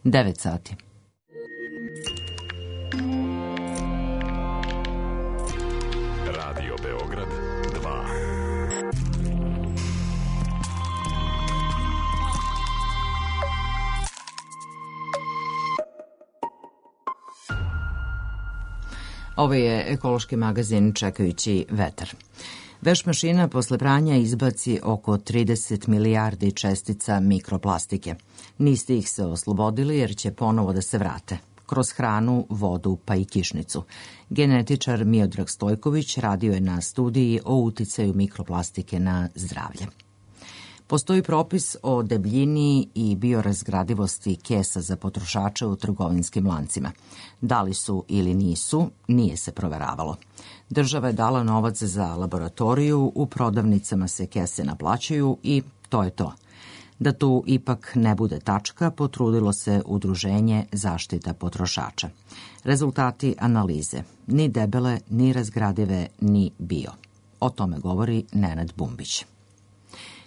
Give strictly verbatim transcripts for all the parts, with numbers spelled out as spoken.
devet sati. Radio Beograd dva. Ovo je ekološki magazin Čekajući vetar. Veš mašina posle pranja izbaci oko trideset milijardi čestica mikroplastike. Niste ih se oslobodili jer će ponovo da se vrate. Kroz hranu, vodu pa i kišnicu. Genetičar Miodrag Stojković radio je na studiji o uticaju mikroplastike na zdravlje. Postoji propis o debljini i biorazgradivosti kesa za potrošače u trgovinskim lancima. Da li su ili nisu, nije se proveravalo. Država je dala novac za laboratoriju, u prodavnicama se kese naplaćuju i to je to. Da tu ipak ne bude tačka, potrudilo se Udruženje Zaštita potrošača. Rezultati analize. Ni debele, ni razgradive, ni bio. O tome govori Nenad Bumbić.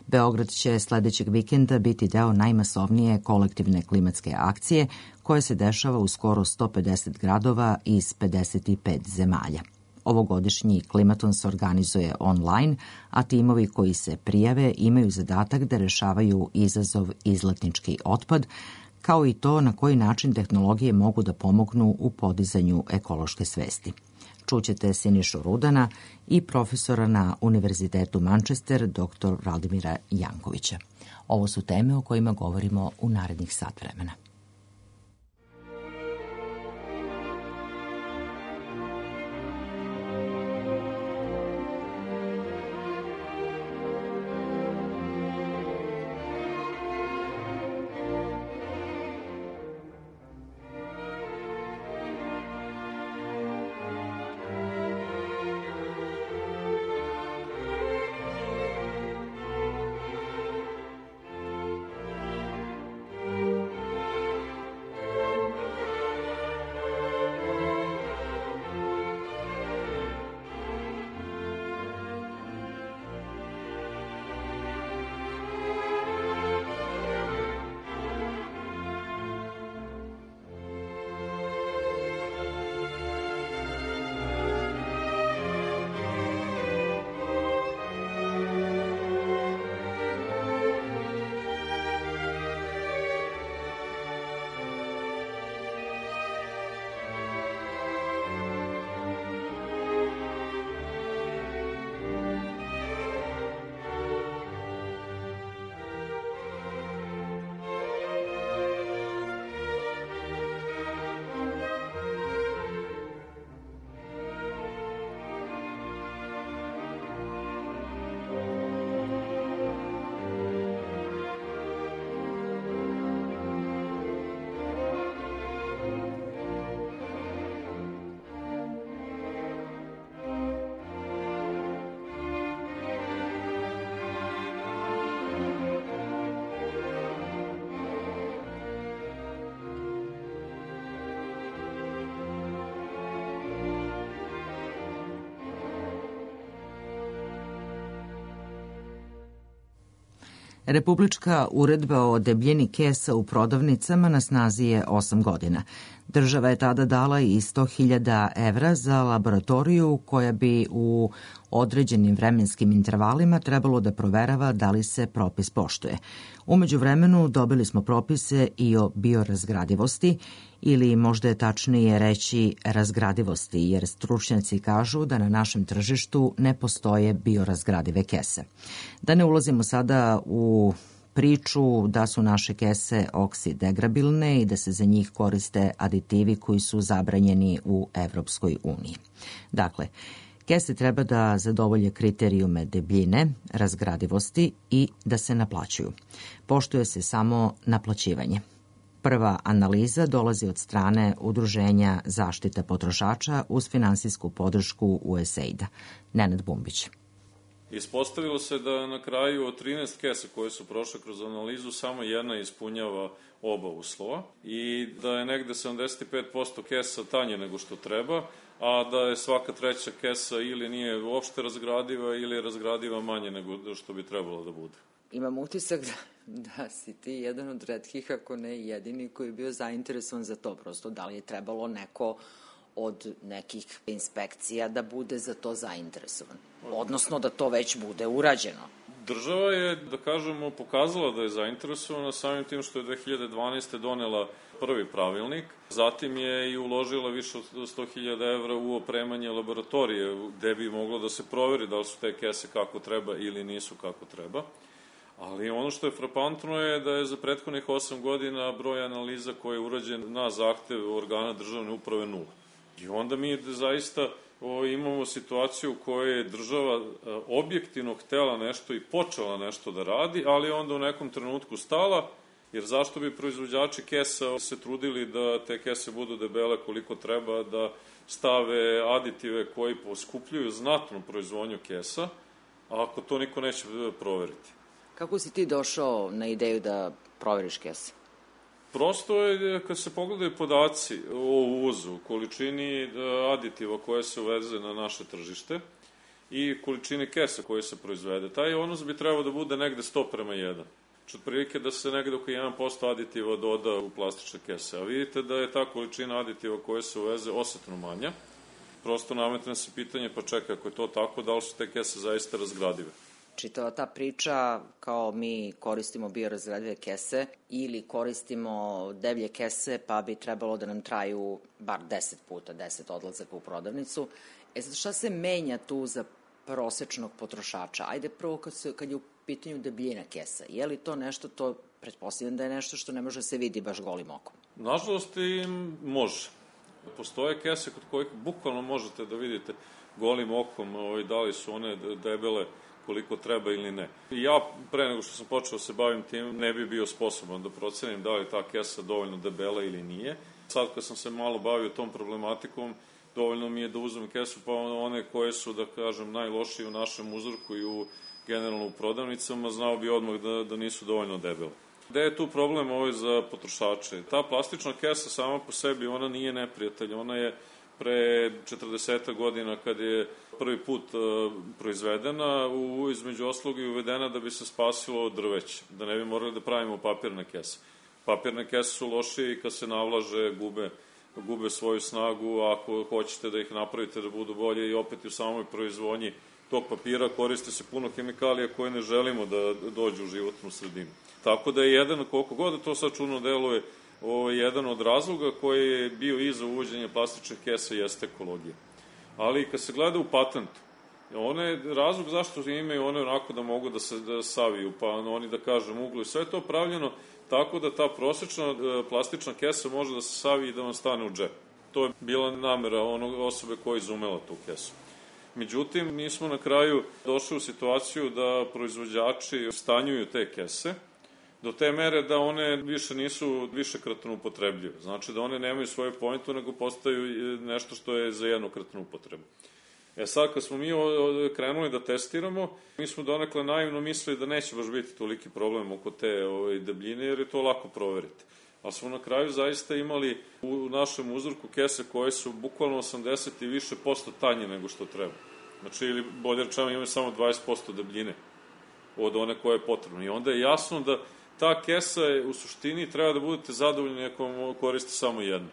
Beograd će sledećeg vikenda biti deo najmasovnije kolektivne klimatske akcije koja se dešava u skoro sto pedeset gradova iz pedeset pet zemalja. Ovogodišnji klimaton se organizuje online, a timovi koji se prijave imaju zadatak da rešavaju izazov izletnički otpad, kao i to na koji način tehnologije mogu da pomognu u podizanju ekološke svesti. Čućete Sinišu Rudana i profesora na Univerzitetu Manchester, doktor Vladimira Jankovića. Ovo su teme o kojima govorimo u narednih sat vremena. Republička uredba o debljini kesa u prodavnicama na snazi je osam godina. Država je tada dala i sto hiljada evra za laboratoriju koja bi u određenim vremenskim intervalima trebalo da proverava da li se propis poštuje. Umeđu vremenu dobili smo propise i o biorazgradivosti, ili možda je tačnije reći razgradivosti, jer stručnjaci kažu da na našem tržištu ne postoje biorazgradive kese. Da ne ulazimo sada u priču da su naše kese oksidegrabilne i da se za njih koriste aditivi koji su zabranjeni u Evropskoj uniji. Dakle, kese treba da zadovolje kriterijume debljine, razgradivosti i da se naplaćuju. Poštuje se samo naplaćivanje. Prva analiza dolazi od strane Udruženja Zaštita potrošača uz finansijsku podršku U S A I D-a. Nenad Bumbić. Ispostavilo se da na kraju od trinaest kesa koje su prošle kroz analizu samo jedna ispunjava oba uslova i da je negde sedamdeset pet posto kesa tanje nego što treba, a da je svaka treća kesa ili nije uopšte razgradiva ili je razgradiva manje nego što bi trebalo da bude. Imam utisak da da si ti jedan od retkih, ako ne jedini, koji je bio zainteresovan za to. Prosto, da li je trebalo neko od nekih inspekcija da bude za to zainteresovan? Odnosno, da to već bude urađeno. Država je, da kažemo, pokazala da je zainteresovana samim tim što je dve hiljade dvanaeste. donela prvi pravilnik. Zatim je i uložila više od sto hiljada evra u opremanje laboratorije, gde bi moglo da se proveri da li su te kese kako treba ili nisu kako treba. Ali ono što je frapantno je da je za prethodnih osam godina broj analiza koji je urađen na zahtev organa državne uprave nula. I onda mi zaista o, imamo situaciju u kojoj je država a, objektivno htela nešto i počela nešto da radi, ali onda u nekom trenutku stala, jer zašto bi proizvođači kesa se trudili da te kese budu debele koliko treba, da stave aditive koji poskupljuju znatno proizvodnju kesa, a ako to niko neće proveriti. Kako si ti došao na ideju da proveriš kese? Prosto je, kad se pogledaju podaci o uvozu, količini aditiva koje se uveze na naše tržište i količini kesa koje se proizvede, taj odnos bi trebao da bude negde sto prema jedan. Znači, otprilike da se negde oko jedan posto aditiva doda u plastične kese. A vidite da je ta količina aditiva koje se uveze osetno manja. Prosto nametne se pitanje, pa čekaj, ako je to tako, da li su te kese zaista razgradive? Čitava ta priča, kao mi koristimo biorazgradive kese ili koristimo deblje kese, pa bi trebalo da nam traju bar deset puta, deset odlazaka u prodavnicu. E sad, šta se menja tu za prosečnog potrošača? Ajde prvo kad, se, kad je u pitanju debljina kesa. Je li to nešto, to pretpostavljam da je nešto što ne može da se vidi baš golim okom? Nažalost i može. Postoje kese kod kojih bukvalno možete da vidite golim okom ovaj, da li su one debele koliko treba ili ne. Ja, pre nego što sam počeo se bavim tim, ne bi bio sposoban da procenim da li ta kesa dovoljno debela ili nije. Sad kad sam se malo bavio tom problematikom, dovoljno mi je da uzmem kesu, pa one koje su, da kažem, najlošije u našem uzorku i u generalno u prodavnicama, znao bi odmah da, da nisu dovoljno debele. Gde je tu problem ovaj za potrošače? Ta plastična kesa sama po sebi, ona nije neprijatelj, ona je pre četrdeset godina kad je prvi put uh, proizvedena, u, između oslog i uvedena da bi se spasilo drveće, da ne bi morali da pravimo papirne kese. Papirne kese su lošije i kad se navlaže, gube, gube svoju snagu, a ako hoćete da ih napravite da budu bolje i opet u samoj proizvodnji tog papira koriste se puno hemikalija koje ne želimo da dođu u životnu sredinu. Tako da je jedan, koliko god da to sad čudno deluje, ovo je jedan od razloga koji je bio iza uvođenja plastičnih kesa jeste ekologija. Ali kad se gleda u patentu, one, razlog zašto imaju one onako da mogu da se da saviju, pa oni da kažem uglu i sve to pravljeno tako da ta prosečna plastična kesa može da se savi i da vam stane u džep. To je bila namera onog osobe koja je izumela tu kesu. Međutim, mi smo na kraju došli u situaciju da proizvođači stanjuju te kese, do te mere da one više nisu višekratno upotrebljive. Znači da one nemaju svoju pointu, nego postaju nešto što je za jednokratnu upotrebu. E sad, kad smo mi krenuli da testiramo, mi smo donekle naivno mislili da neće baš biti toliki problem oko te ove, debljine, jer je to lako proveriti. Ali smo na kraju zaista imali u našem uzorku kese koje su bukvalno osamdeset i više posto tanje nego što treba. Znači, ili bolje rečeno, imaju samo dvadeset posto debljine od one koje je potrebno. I onda je jasno da ta kesa je, u suštini treba da budete zadovoljni ako koriste samo jednu.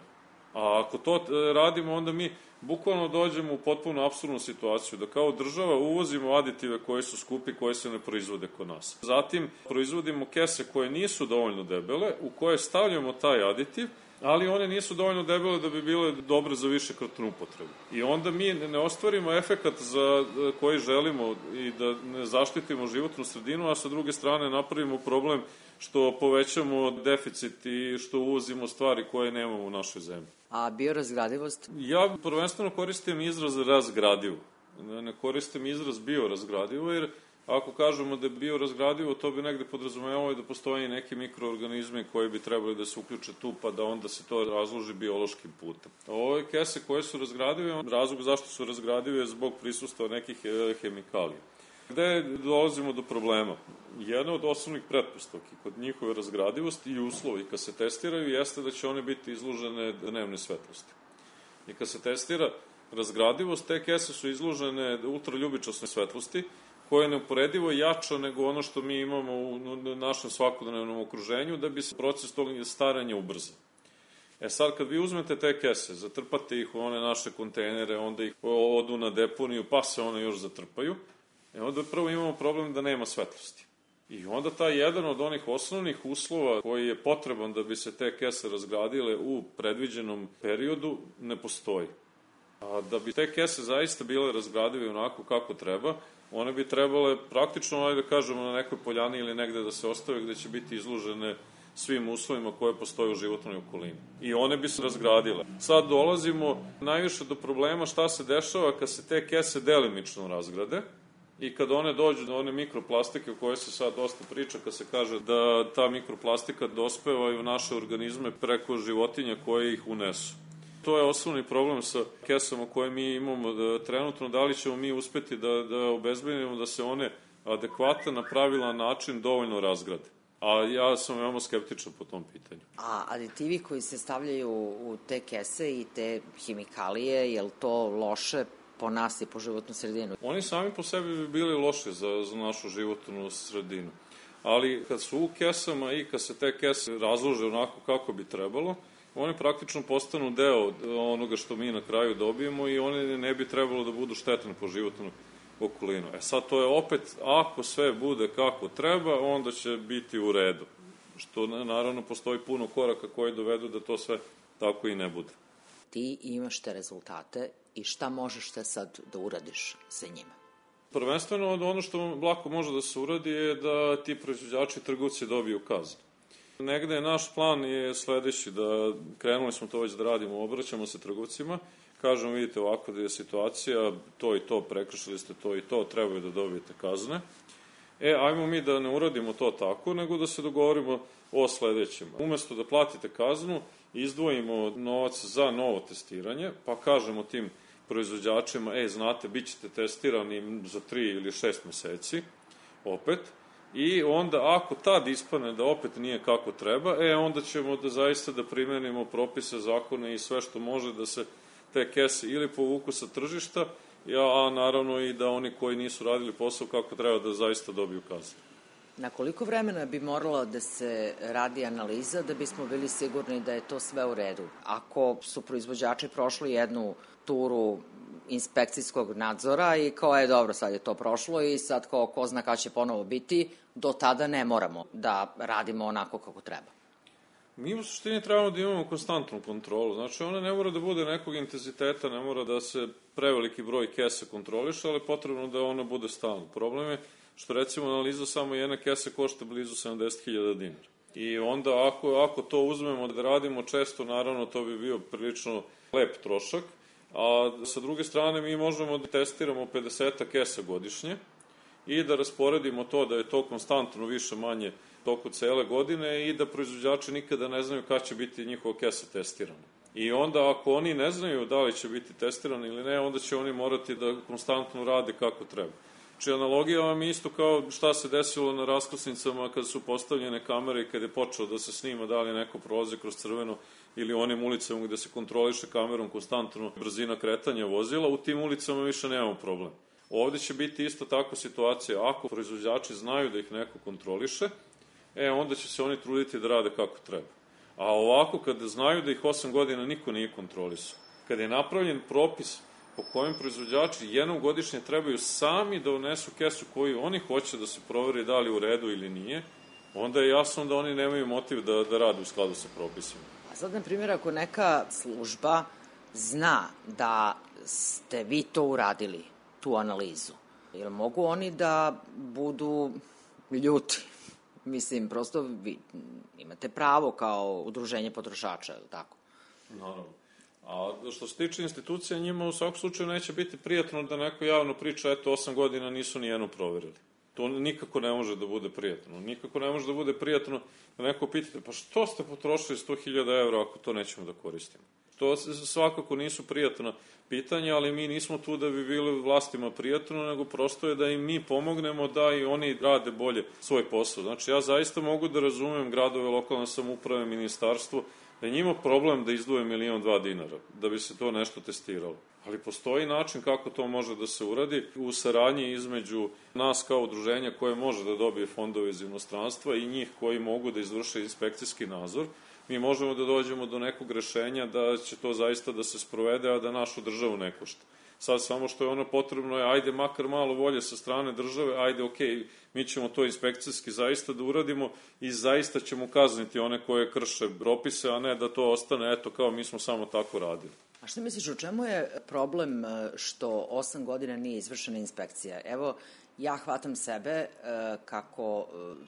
A ako to radimo, onda mi bukvalno dođemo u potpuno apsurdnu situaciju, da kao država uvozimo aditive koje su skupi, koje se ne proizvode kod nas. Zatim proizvodimo kese koje nisu dovoljno debele, u koje stavljamo taj aditiv, ali one nisu dovoljno debele da bi bile dobre za višekratnu upotrebu. I onda mi ne ostvarimo efekat za koji želimo i da ne zaštitimo životnu sredinu, a sa druge strane napravimo problem što povećamo deficit i što uvozimo stvari koje nemamo u našoj zemlji. A biorazgradivost? Ja prvenstveno koristim izraz razgradivo. Ne koristim izraz biorazgradivo, jer ako kažemo da je biorazgradivo, to bi negde podrazumevalo da postoje neki mikroorganizmi koji bi trebali da se uključe tu, pa da onda se to razloži biološkim putem. Ove kese koje su razgradive, razlog zašto su razgradive je zbog prisustva nekih hemikalija. Gde dolazimo do problema? Jedna od osnovnih pretpostavki kod njihove razgradivosti i uslovi kad se testiraju jeste da će one biti izložene dnevne svetlosti. I kad se testira razgradivost, te kese su izložene ultraljubičasnoj svetlosti koja je neuporedivo jača nego ono što mi imamo u našem svakodnevnom okruženju, da bi se proces tog staranja ubrzao. E sad, kad vi uzmete te kese, zatrpate ih u one naše kontejnere, onda ih odu na deponiju, pa se one još zatrpaju, e onda prvo imamo problem da nema svetlosti. I onda taj jedan od onih osnovnih uslova koji je potreban da bi se te kese razgradile u predviđenom periodu ne postoji. A da bi te kese zaista bile razgradive onako kako treba, one bi trebale praktično, ajde da kažemo, na nekoj poljani ili negde da se ostave gde će biti izložene svim uslovima koje postoje u životnoj okolini. I one bi se razgradile. Sad dolazimo najviše do problema šta se dešava kad se te kese delimično razgrade i kad one dođu do one mikroplastike o kojoj se sad dosta priča, kad se kaže da ta mikroplastika dospeva i u naše organizme preko životinja koje ih unesu. To je osnovni problem sa kesama koje mi imamo da, trenutno, da li ćemo mi uspeti da, da obezbedimo da se one adekvatan na pravilan način dovoljno razgrade. A ja sam veoma skeptičan po tom pitanju. A aditivi koji se stavljaju u te kese i te hemikalije, je li to loše po nas i po životnu sredinu? Oni sami po sebi bi bili loši za, za našu životnu sredinu. Ali kad su u kesama i kad se te kese razlože onako kako bi trebalo, oni praktično postanu deo onoga što mi na kraju dobijemo i oni ne bi trebalo da budu štetni po životnu okolinu. E sad, to je opet, ako sve bude kako treba, onda će biti u redu. Što, naravno, postoji puno koraka koji dovedu da to sve tako i ne bude. Ti imaš te rezultate i šta možeš te sad da uradiš sa njima? Prvenstveno, ono što lako može da se uradi je da ti proizvođači i trgovci dobiju kaznu. Negde je naš plan je sledeći, da krenuli smo to već da radimo, obraćamo se trgovcima, kažemo, vidite ovako da je situacija, to i to, prekršili ste to i to, trebaju da dobijete kazne. E, ajmo mi da ne uradimo to tako, nego da se dogovorimo o sledećem. Umesto da platite kaznu, izdvojimo novac za novo testiranje, pa kažemo tim proizvođačima, e, znate, bit ćete testirani za tri ili šest meseci, opet, i onda ako tad ispane da opet nije kako treba, e, onda ćemo da zaista da primenimo propise, zakone i sve što može da se te kese ili povuku sa tržišta, a naravno i da oni koji nisu radili posao kako treba da zaista dobiju kaznu. Na koliko vremena bi moralo da se radi analiza da bismo bili sigurni da je to sve u redu? Ako su proizvođači prošli jednu turu inspekcijskog nadzora i kao je dobro, sad je to prošlo i sad kao ko zna kada će ponovo biti, do tada ne moramo da radimo onako kako treba. Mi u suštini trebamo da imamo konstantnu kontrolu, znači ona ne mora da bude nekog intenziteta, ne mora da se preveliki broj kese kontroliše, ali potrebno da ona bude stalno. Problem je što recimo analiza samo jedne kese košta blizu sedamdeset hiljada dinara. I onda ako, ako to uzmemo da radimo često, naravno to bi bio prilično lep trošak, a sa druge strane mi možemo da testiramo pedeset kesa godišnje i da rasporedimo to da je to konstantno više manje toku cele godine i da proizvođači nikada ne znaju kada će biti njihova kesa testirana. I onda ako oni ne znaju da li će biti testirani ili ne, onda će oni morati da konstantno rade kako treba. Či analogija vam je isto kao šta se desilo na raskrsnicama kad su postavljene kamere i kad je počeo da se snima da li neko prolazi kroz crveno ili onim ulicama gde se kontroliše kamerom konstantno brzina kretanja vozila, u tim ulicama više nemamo problem. Ovde će biti isto tako situacija, ako proizvođači znaju da ih neko kontroliše, e, onda će se oni truditi da rade kako treba. A ovako, kada znaju da ih osam godina niko nije kontrolisao, kada je napravljen propis po kojem proizvođači jednom godišnje trebaju sami da unesu kesu koju oni hoće da se proveri da li u redu ili nije, onda je jasno da oni nemaju motiv da, da rade u skladu sa propisima. A sad, na primjer, ako neka služba zna da ste vi to uradili, tu analizu, jer mogu oni da budu ljuti? Mislim, prosto vi imate pravo kao udruženje potrošača, ili tako? Naravno. A što se tiče institucija, njima u svakom slučaju neće biti prijatno da neko javno priča, eto, osam godina nisu ni jedno proverili. To nikako ne može da bude prijatno. Nikako ne može da bude prijatno da neko pitate, pa što ste potrošili sto hiljada evra ako to nećemo da koristimo? To svakako nisu prijatna pitanja, ali mi nismo tu da bi bili vlastima prijatno, nego prosto je da im mi pomognemo da i oni rade bolje svoj posao. Znači, ja zaista mogu da razumem gradove, lokalne samouprave, ministarstvo, da je njima problem da izdvoje milion dva dinara, da bi se to nešto testiralo. Ali postoji način kako to može da se uradi u saradnji između nas kao udruženja koje može da dobije fondove iz inostranstva i njih koji mogu da izvrše inspekcijski nadzor. Mi možemo da dođemo do nekog rešenja da će to zaista da se sprovede, a da našu državu ne košta. Sad samo što je ono potrebno je, ajde makar malo volje sa strane države, ajde okej, mi ćemo to inspekcijski zaista da uradimo i zaista ćemo kazniti one koje krše propise, a ne da to ostane, eto, kao mi smo samo tako radili. A što misliš, u čemu je problem što osam godina nije izvršena inspekcija? Evo, ja hvatam sebe kako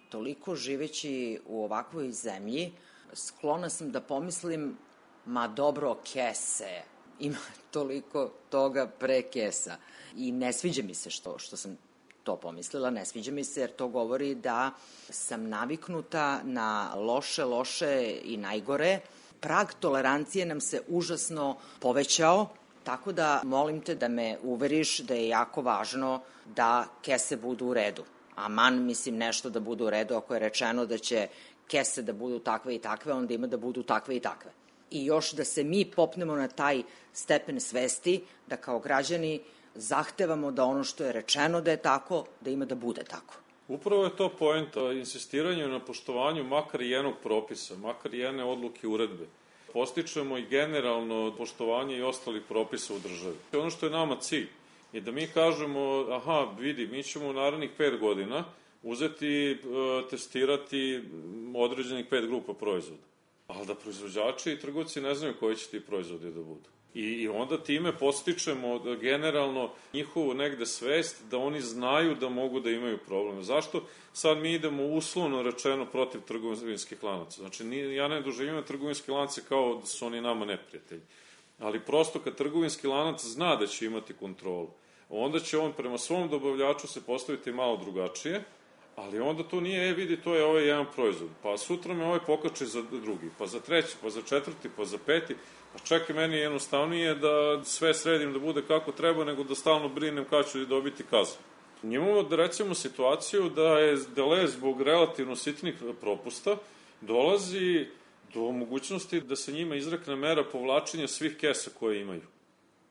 toliko živeći u ovakvoj zemlji, sklona sam da pomislim, ma dobro, kese, ima toliko toga pre kesa. I ne sviđa mi se što, što sam to pomislila, ne sviđa mi se jer to govori da sam naviknuta na loše, loše i najgore. Prag tolerancije nam se užasno povećao, tako da molim te da me uveriš da je jako važno da kese budu u redu. Aman, mislim, nešto da budu u redu, ako je rečeno da će kese da budu takve i takve, onda ima da budu takve i takve. I još da se mi popnemo na taj stepen svesti, da kao građani zahtevamo da ono što je rečeno da je tako, da ima da bude tako. Upravo je to poenta, insistiranje na poštovanju makar jednog propisa, makar jedne odluke uredbe. Postičemo i generalno poštovanje i ostalih propisa u državi. Ono što je nama cilj je da mi kažemo, aha, vidi, mi ćemo u narednih pet godina uzeti, testirati određenih pet grupa proizvoda. Ali da proizvođači i trgovci ne znaju koji će ti proizvodi da budu. I, I onda time postičemo da generalno njihovu negde svest da oni znaju da mogu da imaju probleme. Zašto sad mi idemo uslovno rečeno protiv trgovinskih lanaca? Znači, ja ne doživljam trgovinske lance kao da su oni nama neprijatelji. Ali prosto kad trgovinski lanac zna da će imati kontrolu, onda će on prema svom dobavljaču se postaviti malo drugačije, ali onda to nije, e vidi, to je ovaj jedan proizvod, pa sutra me ovaj pokače za drugi, pa za treći, pa za četvrti, pa za peti, pa čekaj, meni je jednostavnije da sve sredim da bude kako treba, nego da stalno brinem kada ću dobiti kaznu. Imamo da recimo situaciju da je Deleuze zbog relativno sitnih propusta dolazi do mogućnosti da se njima izrekne mera povlačenja svih kesa koje imaju.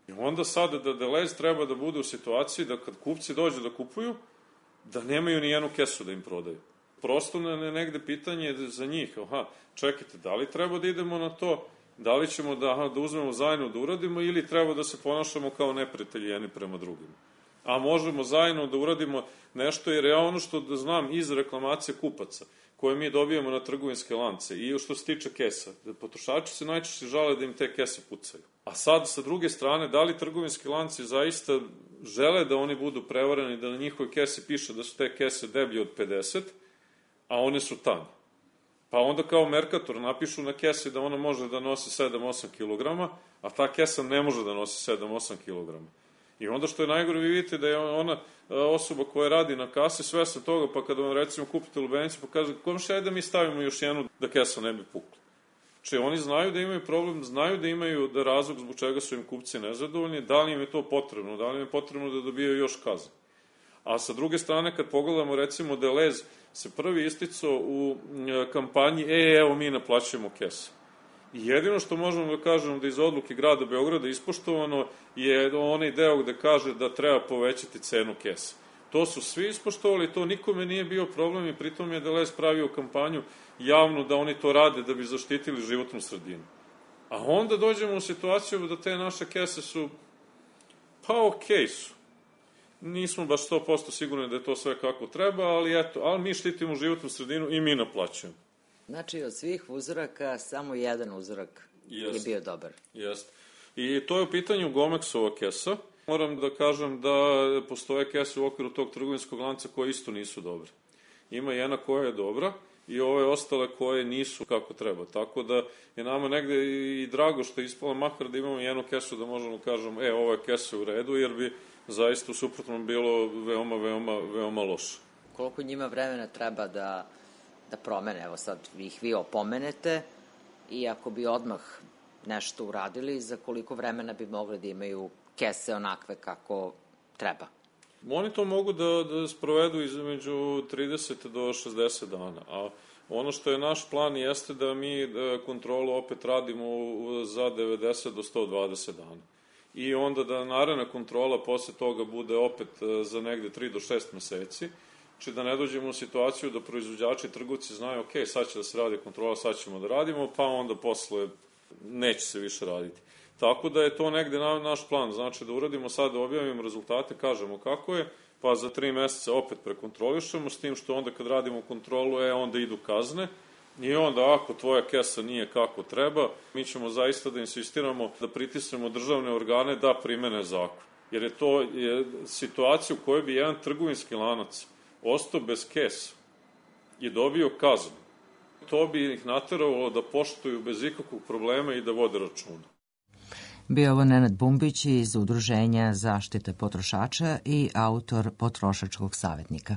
I onda sada da Deleuze treba da bude u situaciji da kad kupci dođu da kupuju, da nemaju ni jednu kesu da im prodaju. Prosto ne negde pitanje za njih, aha, čekajte, da li treba da idemo na to, da li ćemo da, aha, da uzmemo zajedno da uradimo ili treba da se ponašamo kao neprijatelji jedni prema drugima. A možemo zajedno da uradimo nešto, jer ja ono što da znam iz reklamacije kupaca, koje mi dobijamo na trgovinske lance i što se tiče kesa, da potrošači se najčešće žale da im te kese pucaju. A sad, sa druge strane, da li trgovinski lanci zaista žele da oni budu prevareni, da na njihovoj kesi piše da su te kese deblje od pedeset, a one su tanje. Pa onda kao Mercator napišu na kesi da ona može da nosi sedam do osam kilograma, a ta kesa ne može da nosi sedam do osam kilograma. I onda što je najgore, vi vidite da je ona osoba koja radi na kasi svesna toga, pa kada vam recimo kupite lubenicu, pa kaže, komši, ajde da mi stavimo još jednu da kesa ne bi pukla. Če oni znaju da imaju problem, znaju da imaju da razlog zbog čega su im kupci nezadovoljni, da li im je to potrebno, da li im je potrebno da dobijaju još kazne. A sa druge strane, kad pogledamo, recimo, Deleuze se prvi isticao u kampanji, e, evo, mi naplaćujemo kese. I jedino što možemo da kažemo da iz odluke grada Beograda ispoštovano je onaj deo gde kaže da treba povećati cenu kesa. To su svi ispoštovali, to nikome nije bio problem i pritom je Deleuze pravio kampanju javno da oni to rade da bi zaštitili životnu sredinu. A onda dođemo u situaciju da te naše kese su, pa okej su. Nismo baš sto posto sigurni da je to sve kako treba, ali eto, ali mi štitimo životnu sredinu i mi naplaćujemo. Znači, od svih uzoraka, samo jedan uzorak Jest. je bio dobar. Jeste. I to je u pitanju Gomexova kesa. Moram da kažem da postoje kese u okviru tog trgovinskog lanca koje isto nisu dobre. Ima jedna koja je dobra i ove ostale koje nisu kako treba. Tako da je nama negde i drago što je ispala makar da imamo jednu kesu da možemo kažemo, e, ova kesa je u redu, jer bi zaista u suprotnom bilo veoma, veoma, veoma loše. Koliko njima vremena treba da, da promene? Evo sad ih vi opomenete i ako bi odmah nešto uradili, za koliko vremena bi mogli da imaju kese onakve kako treba? Oni to mogu da, da sprovedu između trideset do šezdeset dana, a Ono što je naš plan jeste da mi kontrolu opet radimo za devedeset do sto dvadeset dana. I onda da naredna kontrola posle toga bude opet za negde tri do šest meseci, či da ne dođemo u situaciju da proizvođači i trgovci znaju, ok, sad će da se radi kontrola, sad ćemo da radimo, pa onda posle neće se više raditi. Tako da je to negde na, naš plan, znači da uradimo sad, da objavimo rezultate, kažemo kako je, pa za tri meseca opet prekontrolišemo, s tim što onda kad radimo kontrolu, e, onda idu kazne, i onda ako tvoja kesa nije kako treba, mi ćemo zaista da insistiramo da pritisnemo državne organe da primene zakon. Jer je to je situacija u kojoj bi jedan trgovinski lanac ostao bez kesa i dobio kaznu. To bi ih nateralo da poštuju bez ikakvog problema i da vode računa. Bio ovo Nenad Bumbić iz Udruženja zaštite potrošača i autor Potrošačkog savjetnika.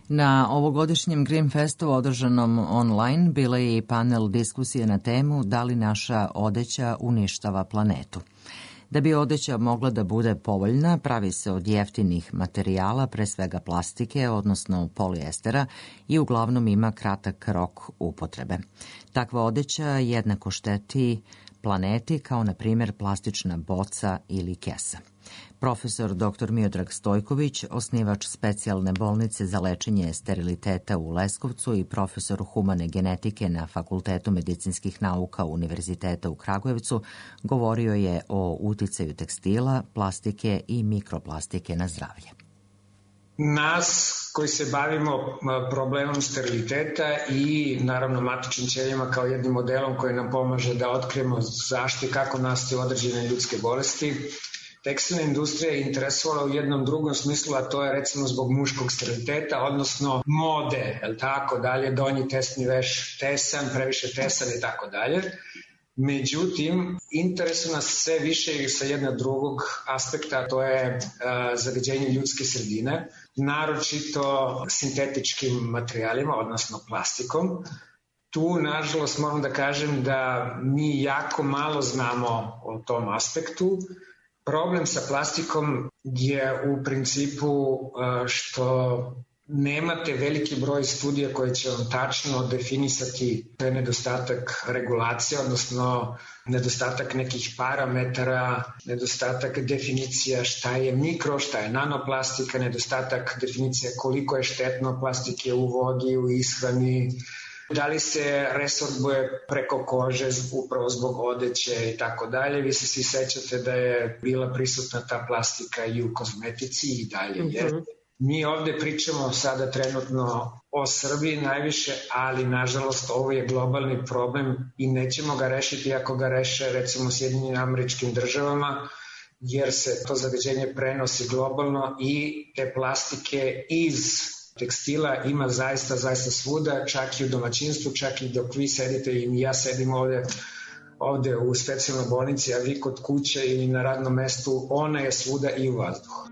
Na ovogodišnjem Green Festu održanom online bila je i panel diskusije na temu da li naša odeća uništava planetu. Da bi odeća mogla da bude povoljna, pravi se od jeftinih materijala, pre svega plastike, odnosno polijestera, i uglavnom ima kratak rok upotrebe. Takva odeća jednako šteti planeti kao, na primjer, plastična boca ili kesa. Profesor doktor Miodrag Stojković, osnivač specijalne bolnice za lečenje steriliteta u Leskovcu i profesor humane genetike na Fakultetu medicinskih nauka Univerziteta u Kragujevcu, govorio je o uticaju tekstila, plastike i mikroplastike na zdravlje. Nas koji se bavimo problemom steriliteta i naravno matičnim ćelijama kao jednim modelom koji nam pomaže da otkrijemo zašto i kako nastaju određene ljudske bolesti, tekstilna industrija je interesovala u jednom drugom smislu, a to je recimo zbog muškog steriliteta, odnosno mode, je li tako dalje, donji tesni veš tesan, previše tesan i tako dalje. Međutim, interesuje nas sve više i sa jednog drugog aspekta, to je uh, zagađenje ljudske sredine, naročito sintetičkim materijalima, odnosno plastikom. Tu, nažalost, moram da kažem da mi jako malo znamo o tom aspektu. Problem sa plastikom je u principu uh, što nemate veliki broj studija koje će vam tačno definisati taj nedostatak regulacije, odnosno nedostatak nekih parametara, nedostatak definicija šta je mikro, šta je nanoplastika, nedostatak definicija koliko je štetno plastike u vodi, u ishrani, da li se resorbuje preko kože upravo zbog odeće i tako dalje. Vi se svi sećate da je bila prisutna ta plastika i u kozmetici i dalje je. Mm-hmm. Mi ovde pričamo sada trenutno o Srbiji najviše, ali nažalost ovo je globalni problem i nećemo ga rešiti ako ga reše recimo Sjedinjenim Američkim Državama, jer se to zagađenje prenosi globalno i te plastike iz tekstila ima zaista, zaista svuda, čak i u domaćinstvu, čak i dok vi sedite i ja sedim ovde, ovde u specijalnoj bolnici, a vi kod kuće ili na radnom mestu, ona je svuda i u vazduhu.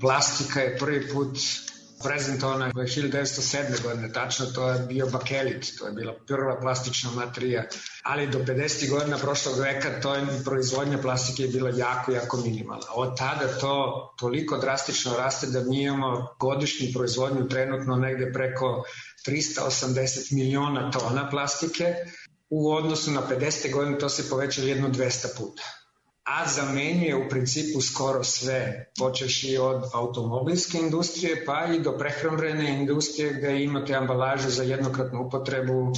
Plastika je prvi put prezentovana u hiljadu devetsto sedme. godine, tačno to je bio bakelit, to je bila prva plastična materija, ali do pedesetih godina prošlog veka to je, proizvodnja plastike je bila jako, jako minimalna. Od tada to toliko drastično raste da mi imamo godišnju proizvodnju trenutno negde preko trista osamdeset miliona tona plastike, u odnosu na pedesete godine to se povećalo jedno dvesta puta. A zamenjuje u principu skoro sve, počeši od automobilske industrije pa i do prehrambene industrije gde imate ambalažu za jednokratnu upotrebu.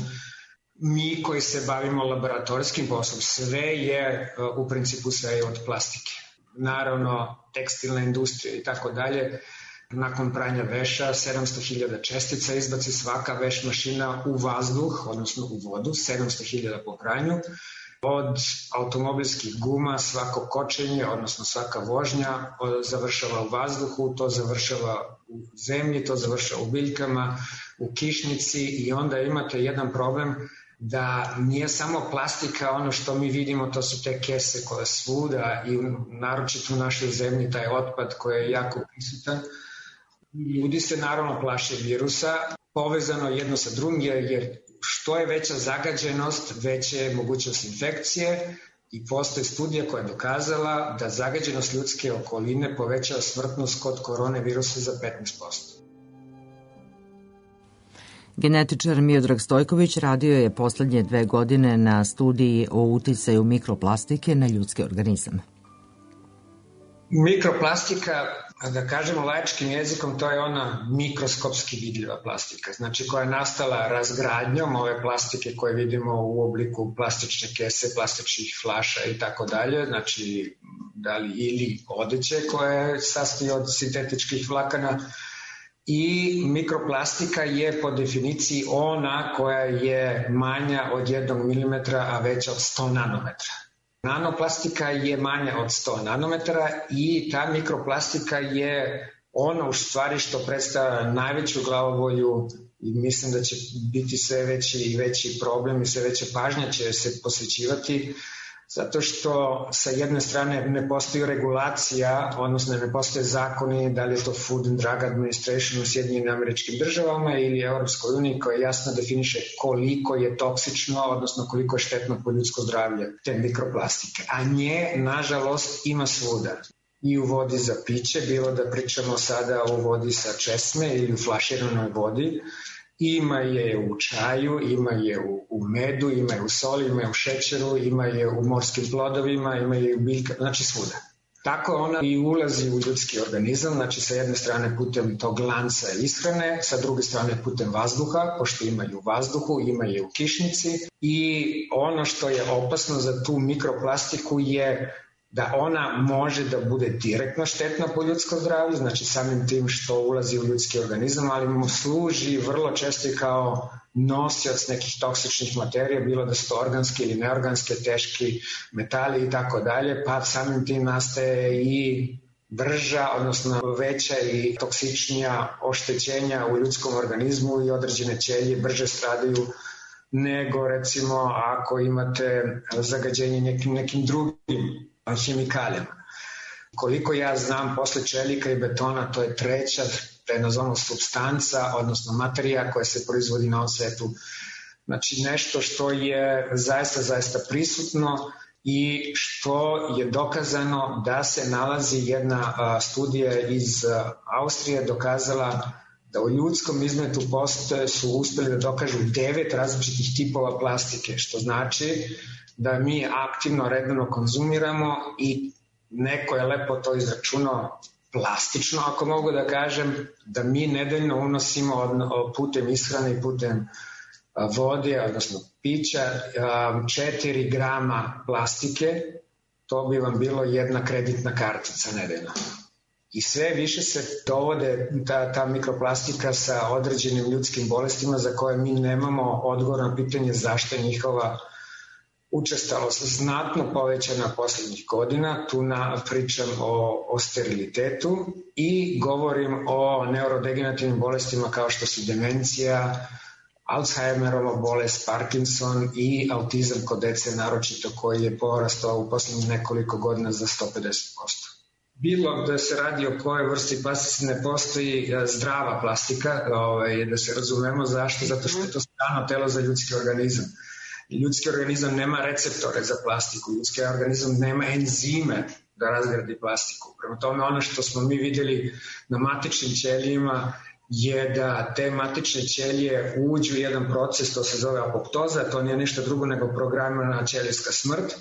Mi koji se bavimo laboratorijskim poslom, sve je u principu sve je od plastike. Naravno, tekstilna industrija i tako dalje. Nakon pranja veša, sedamsto hiljada čestica izbaci svaka veš mašina u vazduh, odnosno u vodu, sedamsto hiljada po pranju. Od automobilskih guma svako kočenje, odnosno svaka vožnja završava u vazduhu, to završava u zemlji, to završava u biljkama, u kišnici i onda imate jedan problem da nije samo plastika ono što mi vidimo, to su te kese koje svuda i naročito u našoj zemlji taj otpad koji je jako prisutan. Ljudi se naravno plaše virusa, povezano jedno sa drugim jer što je veća zagađenost, veća je mogućnost infekcije i postoji studija koja je dokazala da zagađenost ljudske okoline povećava smrtnost kod koronavirusa za petnaest posto. Genetičar Miodrag Stojković radio je poslednje dve godine na studiji o uticaju mikroplastike na ljudski organizam. Mikroplastika, da kažemo laičkim jezikom, to je ona mikroskopski vidljiva plastika, znači koja je nastala razgradnjom ove plastike koje vidimo u obliku plastične kese, plastičnih flaša i tako dalje, znači da li ili odeće koje sastoji od sintetičkih vlakana. I mikroplastika je po definiciji ona koja je manja od jednog milimetra, a veća od sto nanometra. Nanoplastika je manja od sto nanometara i ta mikroplastika je ono u stvari što predstavlja najveću glavobolju i mislim da će biti sve veći i veći problem i sve veća pažnja će se posvećivati zato što sa jedne strane ne postoji regulacija, odnosno ne postoje zakoni, da li je to Food and Drug Administration u Sjedinjenim Američkim Državama ili Europskoj uniji koja jasno definiše koliko je toksično, odnosno koliko je štetno po ljudsko zdravlje te mikroplastike. A nje, nažalost, ima svuda. I u vodi za piće, bilo da pričamo sada o vodi sa česme ili u flaširanoj vodi, ima je u čaju, ima je u, u medu, ima je u soli, ima je u šećeru, ima je u morskim plodovima, ima je u biljkama, znači svuda. Tako ona i ulazi u ljudski organizam, znači sa jedne strane putem tog lanca ishrane, sa druge strane putem vazduha, pošto ima je u vazduhu, ima je u kišnici i ono što je opasno za tu mikroplastiku je da ona može da bude direktno štetna po ljudsko zdravlje, znači samim tim što ulazi u ljudski organizam, ali mu služi vrlo često i kao nosioc nekih toksičnih materija, bilo da su to organske ili neorganske, teški metali i tako dalje, pa samim tim nastaje i brža, odnosno veća i toksičnija oštećenja u ljudskom organizmu i određene ćelije brže stradaju nego recimo ako imate zagađenje nekim, nekim drugim hemikalijama. Koliko ja znam, posle čelika i betona to je treća prednozona supstanca, odnosno materija koja se proizvodi na ovom svetu. Znači nešto što je zaista, zaista prisutno i što je dokazano da se nalazi jedna studija iz Austrije dokazala da u ljudskom izmetu postoje, su uspeli da dokažu devet različitih tipova plastike, što znači da mi aktivno, redovno konzumiramo i neko je lepo to izračunao plastično, ako mogu da kažem, da mi nedeljno unosimo putem ishrane i putem vode, odnosno pića, četiri grama plastike, to bi vam bilo jedna kreditna kartica nedeljno. I sve više se dovode ta, ta mikroplastika sa određenim ljudskim bolestima za koje mi nemamo odgovor na pitanje zašto je njihova učestalost znatno povećana poslednjih godina. Tu na, pričam o, o sterilitetu i govorim o neurodegenerativnim bolestima kao što su demencija, Alzheimerova bolest, Parkinson i autizam kod dece naročito koji je porastao u poslednjih nekoliko godina za sto pedeset posto. Bilo da se radi o kojoj vrsti plastike, ne postoji zdrava plastika, ovaj, da se razumemo zašto, zato što je to strano telo za ljudski organizam. Ljudski organizam nema receptore za plastiku, ljudski organizam nema enzime da razgradi plastiku. Prema tome ono što smo mi vidjeli na matičnim ćelijima je da te matične ćelije uđu u jedan proces, to se zove apoptoza, to nije ništa drugo nego programirana ćelijska smrt.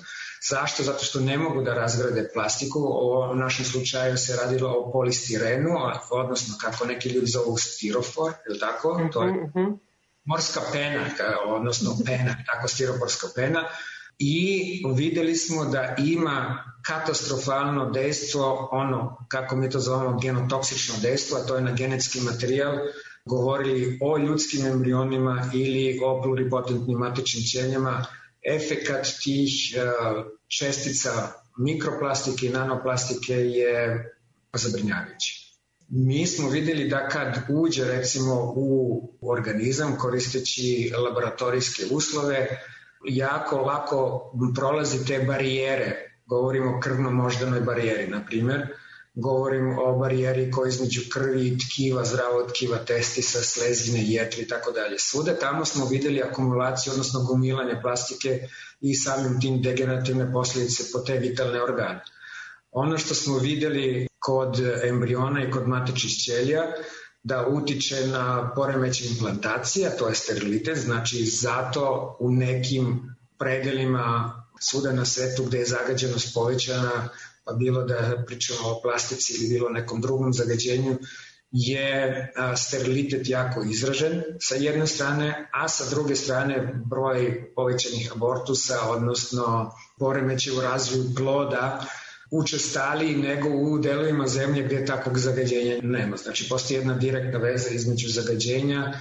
Zašto? Zato što ne mogu da razgrade plastiku. U našem slučaju se radilo o polistirenu, odnosno kako neki ljudi zovu stirofor, je li tako? To je morska pena, odnosno pena, tako stiroporska pena. I videli smo da ima katastrofalno dejstvo, ono, kako mi to zovemo, genotoksično dejstvo, a to je na genetski materijal, govorili o ljudskim embrionima ili o pluripotentnim matičnim ćelijama. Efekat tih čestica mikroplastike i nanoplastike je zabrinjavajući. Mi smo videli da kad uđe recimo u organizam koristeći laboratorijske uslove, jako lako prolazi te barijere. Govorimo o krvno-moždanoj barijeri, na primjer. Govorim o barijeri koja između krvi i tkiva, zdravog tkiva, testisa, slezine, jetri i tako dalje. Svuda tamo smo videli akumulaciju, odnosno gomilanje plastike i samim tim degenerativne posljedice po te vitalne organe. Ono što smo videli kod embriona i kod matičnih ćelija, da utiče na poremećaj implantacija, to je sterilitet, znači zato u nekim predelima svuda na svetu gde je zagađenost povećana, pa bilo da pričamo o plastici ili bilo nekom drugom zagađenju, je sterilitet jako izražen sa jedne strane, a sa druge strane broj povećanih abortusa, odnosno poremećaj u razvoju ploda, učestaliji nego u delovima zemlje gde takvog zagađenja nema. Znači, postoji jedna direktna veza između zagađenja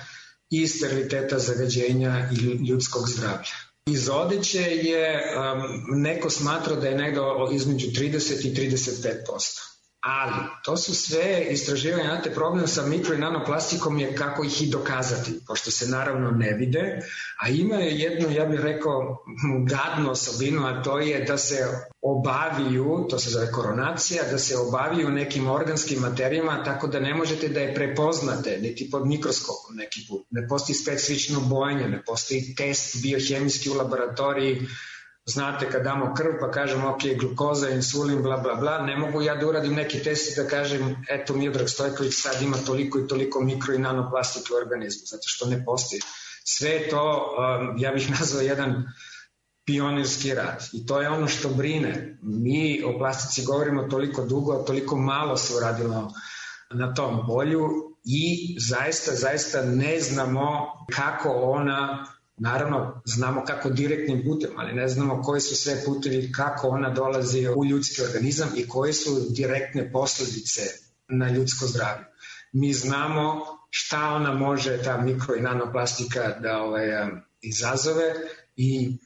i steriliteta zagađenja i ljudskog zdravlja. Iz odeće je, um, neko smatra da je negde između trideset i trideset pet posto. Ali to su sve istraživanja, znate, problem sa mikro i nanoplastikom je kako ih i dokazati, pošto se naravno ne vide, a ima je jednu, ja bih rekao, gadnu osobinu, a to je da se obaviju, to se zove koronacija, da se obaviju nekim organskim materijama, tako da ne možete da je prepoznate, niti pod mikroskopom neki put. Ne postoji specifično bojanje, ne postoji test biohemijski u laboratoriji. Znate, kad damo krv pa kažemo ok, glukoza, insulin, bla bla bla, ne mogu ja da uradim neki test i da kažem eto Miodrag Stojković sad ima toliko i toliko mikro i nanoplastike u organizmu, zato što ne postoji. Sve to, um, ja bih nazvao jedan pionirski rad i to je ono što brine. Mi o plastici govorimo toliko dugo, a toliko malo se uradilo na tom polju i zaista, zaista ne znamo kako ona Naravno, znamo kako direktnim putem, ali ne znamo koji su sve putevi, kako ona dolazi u ljudski organizam i koje su direktne posledice na ljudsko zdravlje. Mi znamo šta ona može, ta mikro i nanoplastika, da ovaj, izazove i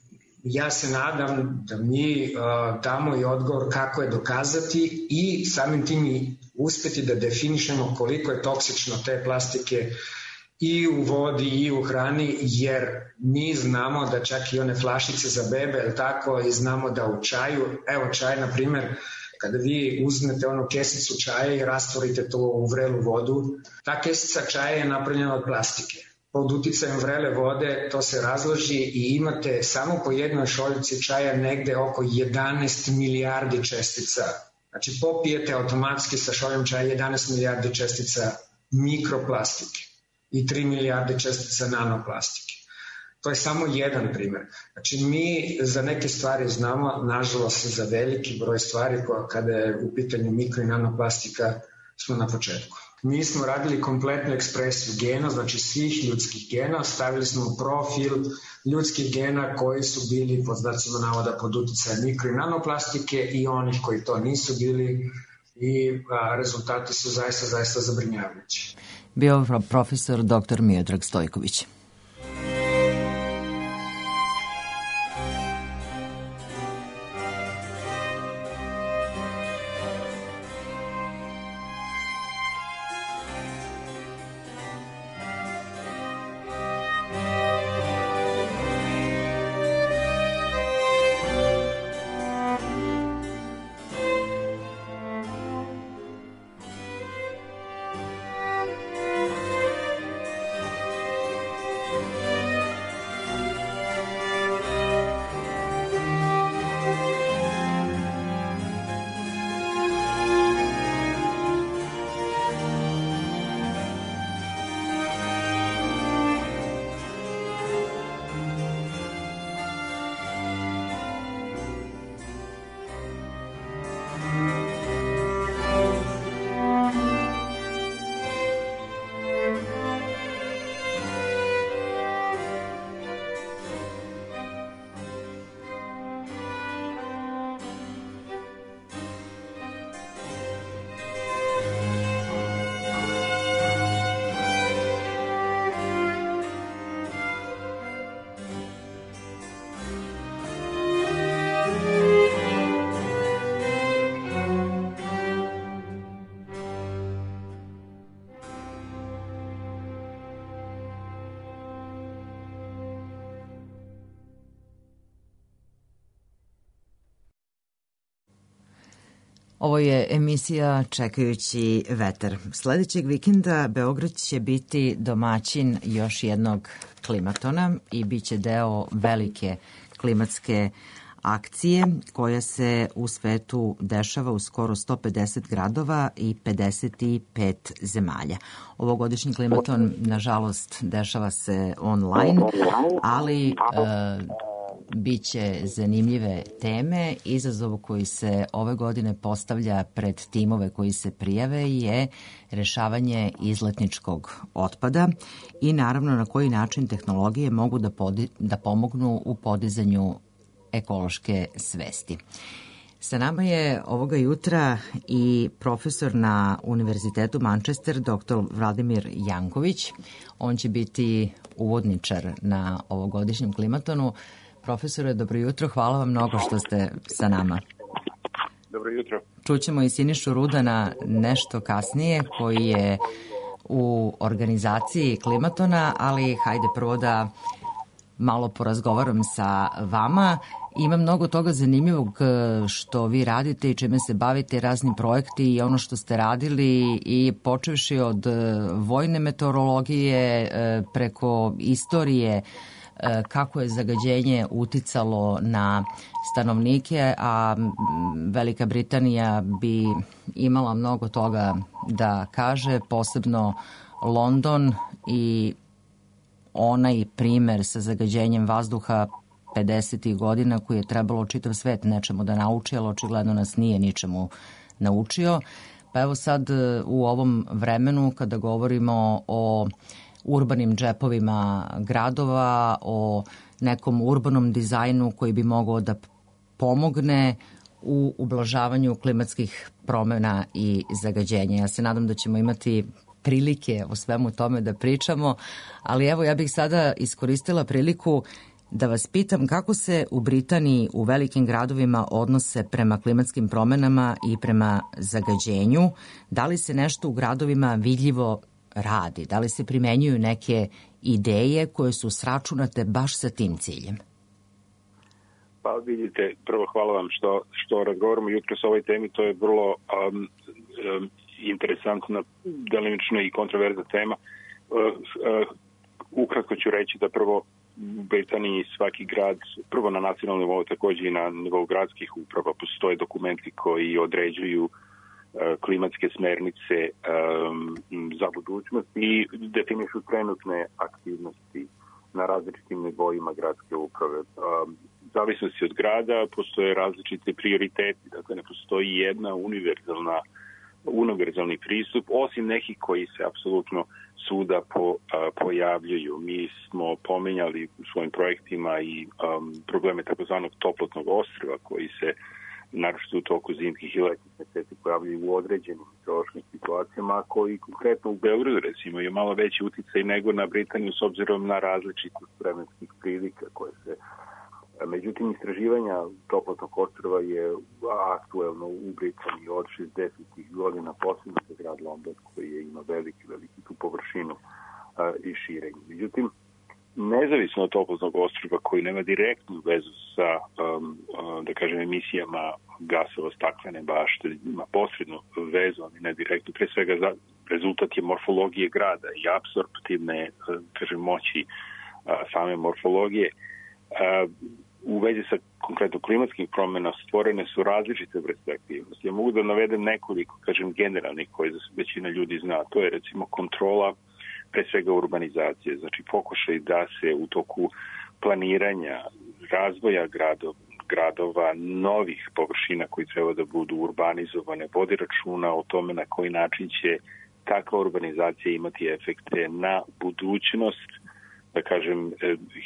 ja se nadam da mi uh, damo i odgovor kako je dokazati i samim tim i uspeti da definišemo koliko je toksično te plastike i u vodi i u hrani, jer mi znamo da čak i one flašice za bebe, je tako, i znamo da u čaju, evo čaj, na primer, kada vi uzmete onu kesicu čaja i rastvorite to u vrelu vodu, ta kesica čaja je napravljena od plastike. Pod uticajem vrele vode to se razloži i imate samo po jednoj šoljici čaja negde oko jedanaest milijardi čestica. Znači popijete automatski sa šoljom čaja jedanaest milijardi čestica mikroplastike i tri milijarde čestica nanoplastike. To je samo jedan primer. Znači mi za neke stvari znamo, nažalost za veliki broj stvari kada je u pitanju mikro i nanoplastika smo na početku. Mi smo radili kompletnu ekspresiju gena, znači svih ljudskih gena, stavili smo profil ljudskih gena koji su bili pod znacima navoda pod uticajem mikro i nanoplastike i onih koji to nisu bili i a, rezultati su zaista, zaista zabrinjavajući. Bio profesor doktor Miodrag Stojković. Ovo je emisija Čekajući vetar. Sledećeg vikenda Beograd će biti domaćin još jednog klimatona i bit će deo velike klimatske akcije koja se u svetu dešava u skoro sto pedeset gradova i pedeset pet zemalja. Ovogodišnji klimaton, nažalost, dešava se online, ali e, biće zanimljive teme. Izazov koji se ove godine postavlja pred timove koji se prijave je rešavanje izletničkog otpada i naravno na koji način tehnologije mogu da, podi, da pomognu u podizanju ekološke svesti. Sa nama je ovoga jutra i profesor na Univerzitetu Manchester, doktor Vladimir Janković. On će biti uvodničar na ovogodišnjem klimatonu. Profesore, dobro jutro, hvala vam mnogo što ste sa nama. Dobro jutro. Čućemo i Sinišu Rudana nešto kasnije, koji je u organizaciji klimatona, ali hajde prvo da malo porazgovaram sa vama. Ima mnogo toga zanimljivog što vi radite i čime se bavite, razni projekti i ono što ste radili, i počevši od vojne meteorologije preko istorije kako je zagađenje uticalo na stanovnike, a Velika Britanija bi imala mnogo toga da kaže, posebno London i onaj primer sa zagađenjem vazduha pedesetih godina koji je trebalo čitav svet nečemu da nauči, ali očigledno nas nije ničemu naučio. Pa evo sad u ovom vremenu kada govorimo o urbanim džepovima gradova, o nekom urbanom dizajnu koji bi mogao da pomogne u ublažavanju klimatskih promena i zagađenja. Ja se nadam da ćemo imati prilike o svemu tome da pričamo, ali evo ja bih sada iskoristila priliku da vas pitam kako se u Britaniji u velikim gradovima odnose prema klimatskim promenama i prema zagađenju. Da li se nešto u gradovima vidljivo radi? Da li se primenjuju neke ideje koje su sračunate baš sa tim ciljem? Pa vidite, prvo hvala vam što, što razgovaramo jutros o ovoj temi, to je vrlo um, um, interesantna, delimično i kontroverzna tema. Uh, uh, ukratko ću reći da prvo u Britaniji svaki grad, prvo na nacionalnom nivou, takođe i na nivou gradskih uprava, postoje dokumenti koji određuju uh, klimatske smernice um, za budućnost i definišu trenutne aktivnosti na različitim nivoima gradske uprave. Um, zavisnosti od grada postoje različite prioriteti, dakle ne postoji jedna univerzalna univerzalni pristup, osim nekih koji se apsolutno svuda po, a, pojavljuju. Mi smo pomenjali u svojim projektima i um, probleme takozvanog toplotnog ostrva koji se naročito u toku zimskih i letnjih meseci pojavljaju u određenim meteorološkim situacijama, koji konkretno u Beogradu recimo je malo veći uticaj nego na Britaniju s obzirom na različitost vremenskih prilika koje se. Međutim, istraživanja toplotnog ostrva je aktuelno u Britaniji od šezdesetih godina, posebno za grad London koji je ima veliki, veliki tu površinu a, i širenje. Međutim, nezavisno od toplotnog ostrva koji nema direktnu vezu sa, um, um, da kažem, emisijama gasova staklene bašte, ima posrednu vezu, ali ne direktnu, pre svega za, rezultat je morfologije grada i apsorptivne, kažem, moći a, same morfologije. A, u vezi sa konkretno klimatskim promjena stvorene su različite vrste aktivnosti. Ja mogu da navedem nekoliko, kažem, generalnih koje većina ljudi zna. To je recimo kontrola pre svega urbanizacije, znači pokušaj da se u toku planiranja razvoja gradova, gradova, novih površina koji treba da budu urbanizovane, vodi računa o tome na koji način će takva urbanizacija imati efekte na budućnost, da kažem,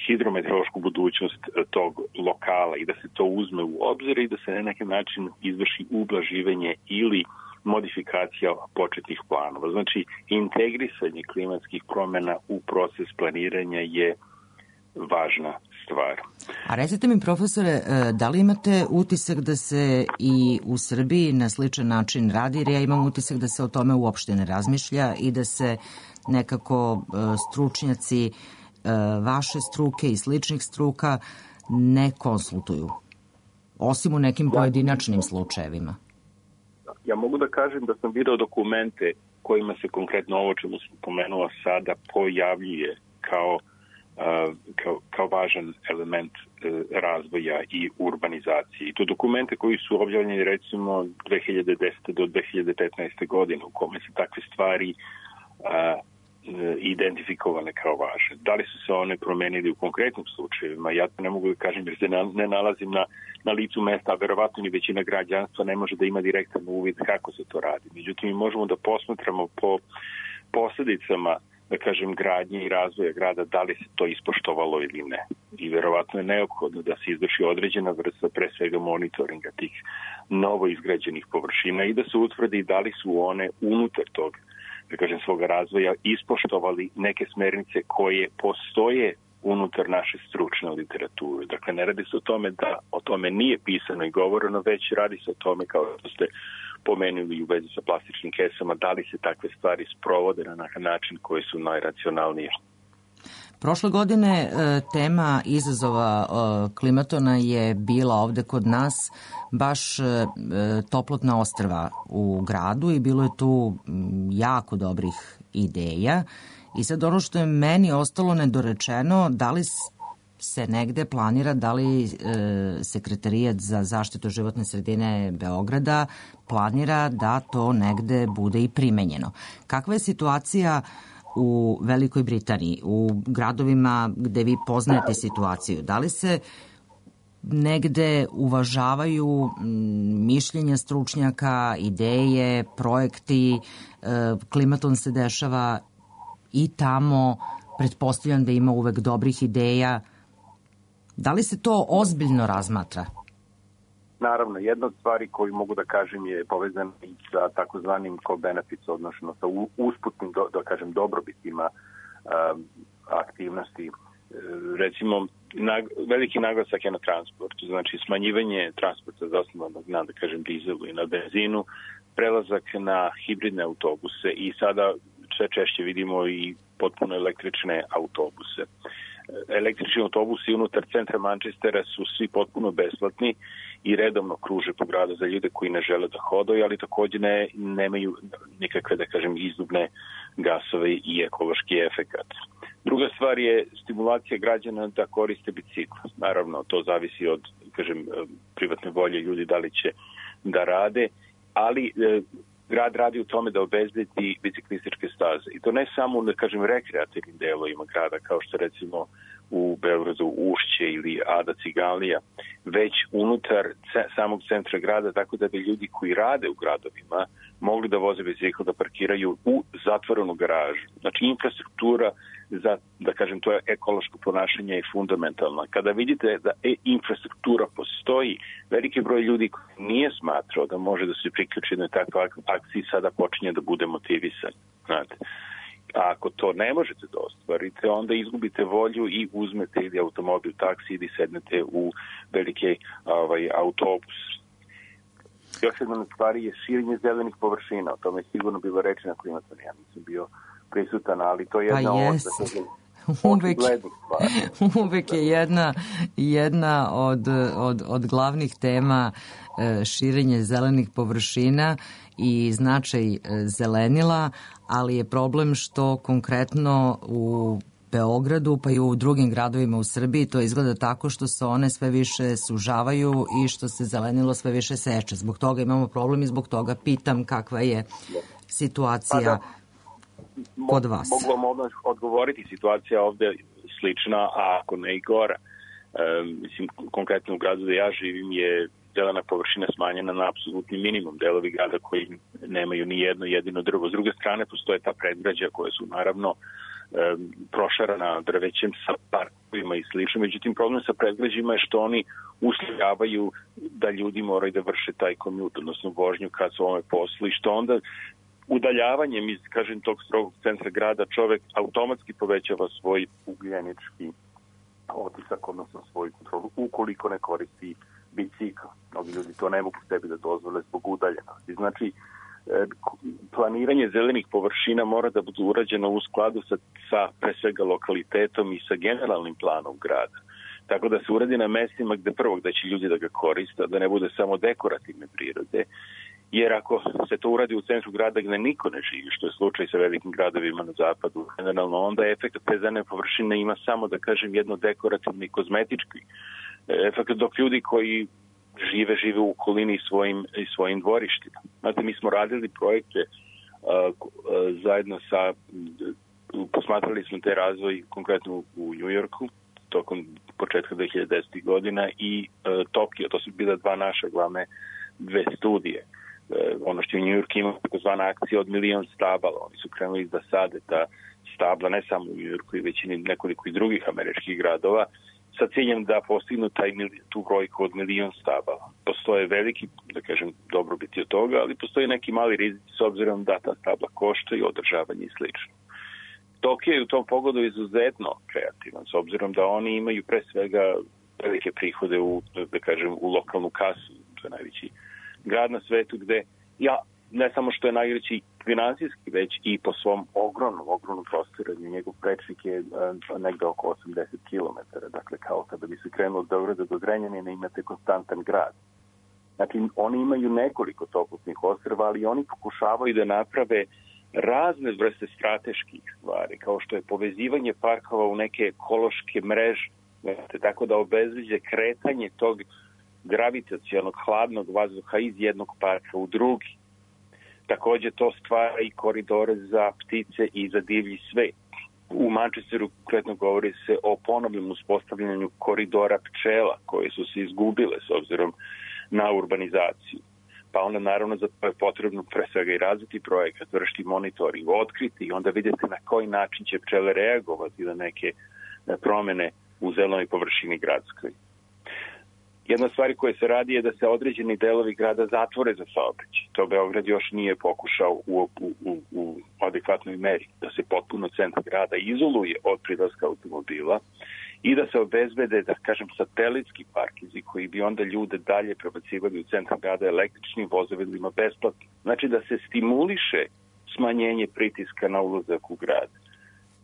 hidrometeorološku budućnost tog lokala i da se to uzme u obzir i da se na neki način izvrši ublaživanje ili modifikacija početnih planova. Znači, integrisanje klimatskih promjena u proces planiranja je važna stvar. A recite mi, profesore, da li imate utisak da se i u Srbiji na sličan način radi, jer ja imam utisak da se o tome uopšte ne razmišlja i da se nekako stručnjaci vaše struke i sličnih struka ne konsultuju, osim u nekim pojedinačnim slučajevima? Ja mogu da kažem da sam video dokumente kojima se konkretno ovo čemu sam pomenuo sada pojavljuje kao, uh, kao, kao važan element uh, razvoja i urbanizacije. I to dokumente koji su objavljeni recimo dve hiljade desete do dve hiljade petnaeste godine u kome se takve stvari uh, identifikovane kao važne. Da li su se one promenili u konkretnim slučajevima? Ja to ne mogu da kažem jer se ne nalazim na, na licu mesta, a verovatno ni većina građanstva ne može da ima direktan uvid kako se to radi. Međutim, mi možemo da posmatramo po posledicama, da kažem, gradnje i razvoja grada, da li se to ispoštovalo ili ne. I verovatno je neophodno da se izvrši određena vrsta, pre svega monitoringa tih novo izgrađenih površina i da se utvrdi da li su one unutar tog, da kažem, svoga razvoja ispoštovali neke smernice koje postoje unutar naše stručne literature. Dakle, ne radi se o tome da o tome nije pisano i govoreno, već radi se o tome, kao što ste pomenuli u vezi sa plastičnim kesama, da li se takve stvari sprovode na način koji su najracionalnije. Prošle godine tema izazova klimatona je bila ovde kod nas baš toplotna ostrva u gradu i bilo je tu jako dobrih ideja. I sad ono što je meni ostalo nedorečeno, da li se negde planira, da li Sekretarijat za zaštitu životne sredine Beograda planira da to negde bude i primenjeno. Kakva je situacija u Velikoj Britaniji, u gradovima gde vi poznajete situaciju? Da li se negde uvažavaju mišljenja stručnjaka, ideje, projekti, klimaton se dešava i tamo pretpostavljam da ima uvek dobrih ideja. Da li se to ozbiljno razmatra? Naravno, jedna od stvari koju mogu da kažem je povezana i sa takozvanim co-benefits, odnosno sa usputnim, do, da kažem, dobrobitima um, aktivnosti. Recimo, nag, veliki naglasak je na transportu, znači smanjivanje transporta zasnovanog na, da kažem, dizelu i na benzinu, prelazak na hibridne autobuse i sada sve češće vidimo i potpuno električne autobuse. Električni autobusi unutar centra Manchestera su svi potpuno besplatni i redovno kruže po gradu za ljude koji ne žele da hodaju, ali takođe ne, nemaju nikakve, da kažem, izdubne gasove i ekološki efekat. Druga stvar je stimulacija građana da koriste bicikl. Naravno, to zavisi od, kažem, privatne volje ljudi da li će da rade, ali e, grad radi u tome da obezbedi biciklističke staze. I to ne samo, da kažem, rekreativnim delovima grada, kao što recimo u Beogradu Ušće ili Ada Ciganlija, već unutar samog centra grada, tako da bi ljudi koji rade u gradovima mogli da voze bicikl, da parkiraju u zatvorenu garažu. Znači, infrastruktura za, da kažem, to je ekološko ponašanje i fundamentalno. Kada vidite da e, infrastruktura postoji, veliki broj ljudi koji nije smatrao da može da se priključi na takve akcije, sada počinje da bude motivisan. Znate. A ako to ne možete da ostvarite, onda izgubite volju i uzmete ili automobil, taksi ili sednete u veliki ovaj, autobus. Još jedna stvar je širenje zelenih površina. O tome je sigurno bilo reči na klimatonu. Ja nisam bio prisutan, ali to je jedna pa od... Uvek, uvek je jedna, jedna od, od, od glavnih tema širenje zelenih površina i značaj zelenila, ali je problem što konkretno u Beogradu pa i u drugim gradovima u Srbiji to izgleda tako što se one sve više sužavaju i što se zelenilo sve više seče. Zbog toga imamo problem i zbog toga pitam kakva je situacija kod vas. Mogu vam odgovoriti, situacija ovde slična, a ako ne i gora. E, mislim, konkretno u gradu da ja živim je zelena površina smanjena na apsolutni minimum. Delovi grada koji nemaju ni jedno jedino drvo. S druge strane postoje ta predgrađa koje su naravno e, prošarana drvećem sa parkovima i slično. Međutim, problem sa predgrađima je što oni uslovljavaju da ljudi moraju da vrše taj komjut, odnosno vožnju kad su ovome poslu i što onda udaljavanjem iz, kažem, tog strogog centra grada čovek automatski povećava svoj ugljenički otisak, odnosno svoju kontrolu, ukoliko ne koristi bicikl. Mnogi ljudi to ne mogu sebi da dozvole zbog udaljenosti. Znači, planiranje zelenih površina mora da bude urađeno u skladu sa, sa pre svega lokalitetom i sa generalnim planom grada. Tako da se uradi na mestima gde prvog da će ljudi da ga koriste, da ne bude samo dekorativne prirode. Jer ako se to uradi u centru grada gde niko ne živi, što je slučaj sa velikim gradovima na zapadu, generalno onda efekt te zelene površine ima samo, da kažem, jedno dekorativni i kozmetički efekt, dok ljudi koji žive, žive u okolini i svojim, i svojim dvorištima. Znate, mi smo radili projekte uh, uh, zajedno sa, uh, posmatrali smo te razvoj konkretno u Njujorku, tokom početka dve hiljade desetih godina i uh, Tokio, to su bila dva naša glavne dve studije. Ono što je u Njujorku ima takozvana akcija od milion stabala. Oni su krenuli da sade ta stabla ne samo u Njujorku i većini nekoliko i drugih američkih gradova sa ciljem da postignu taj, tu brojku od milion stabala. Postoje veliki, da kažem, dobrobiti od toga, ali postoje neki mali rizici s obzirom da ta stabla košta i održavanje i slično. Tokio je u tom pogodu izuzetno kreativan, s obzirom da oni imaju pre svega velike prihode u, da kažem, u lokalnu kasu, to je najveći grad na svetu gde, ja, ne samo što je najveći finansijski, već i po svom ogromnom, ogromnom prostoranju. Njegov prečnik je uh, negde oko osamdeset kilometara, dakle kao kada bi se krenuo od Beograda do Zrenjanina imate konstantan grad. Znači, oni imaju nekoliko toplotnih ostrva, ali oni pokušavaju da naprave razne vrste strateških stvari, kao što je povezivanje parkova u neke ekološke mreže, tako da obezbeđe kretanje tog gravitacionog hladnog vazduha iz jednog parka u drugi. Takođe to stvara i koridore za ptice i za divlji svet. U Manchesteru konkretno govori se o ponovnom uspostavljanju koridora pčela koje su se izgubile s obzirom na urbanizaciju. pa onda naravno za to je potrebno pre svega i razviti projekat, vršiti monitoring, otkriti i onda vidjeti na koji način će pčele reagovati na neke promene u zelenoj površini gradskoj. Jedna stvar koja se radi je da se određeni delovi grada zatvore za saobraćaj. To Beograd još nije pokušao u, u, u, u adekvatnoj meri, da se potpuno centar grada izoluje od prilaska automobila i da se obezbede, da kažem, satelitski parkinzi koji bi onda ljude dalje prebacivali u centar grada električnim vozovima besplatno. Znači da se stimuliše smanjenje pritiska na ulazak u grad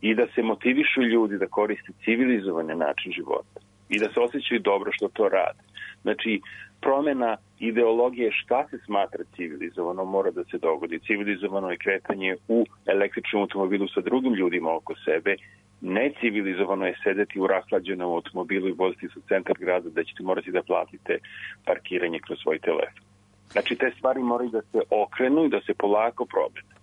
i da se motivišu ljudi da koriste civilizovan način života i da se osjećaju dobro što to rade. Znači, promjena ideologije šta se smatra civilizovano mora da se dogodi. Civilizovano je kretanje u električnom automobilu sa drugim ljudima oko sebe. Necivilizovano je sedeti u rahlađenom automobilu i voziti se u centar grada da ćete morati da platite parkiranje kroz svoj telefon. Znači, te stvari moraju da se okrenu i da se polako promene.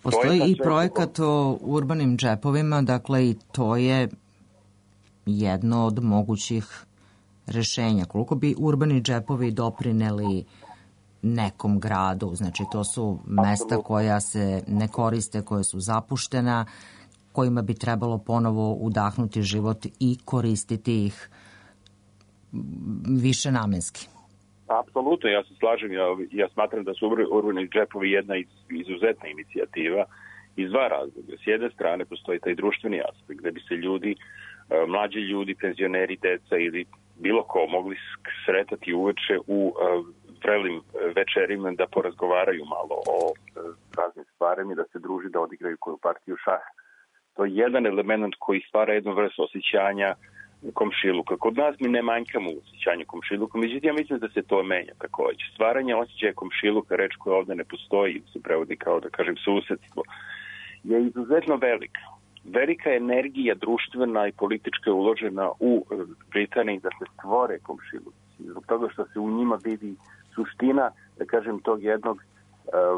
Postoji i projekat o urbanim džepovima, dakle i to je jedno od mogućih rešenja. Koliko bi urbani džepovi doprineli nekom gradu? Znači, to su mesta koja se ne koriste, koje su zapuštena, kojima bi trebalo ponovo udahnuti život i koristiti ih više namenski. Apsolutno, ja se slažem. Ja, ja smatram da su urbani džepovi jedna izuzetna inicijativa iz dva razloga. S jedne strane postoji taj društveni aspekt gde bi se ljudi, mlađi ljudi, penzioneri, deca ili bilo ko mogli sretati uveče u vrelim večerima da porazgovaraju malo o raznim stvarima i da se druži, da odigraju koju partiju šaha. To je jedan element koji stvara jednu vrstu osjećanja komšiluka. Kod nas mi ne manjkamo u osjećanju komšiluka, međutim ja mislim da se to menja takođe. Stvaranje osjećaja komšiluka, reč koja ovde ne postoji, se prevodi kao da kažem susedstvo, je izuzetno velika. Velika energija društvena i politička je uložena u Britaniji da se stvore komšiluci. Zbog toga što se u njima vidi suština, da kažem, tog jednog uh,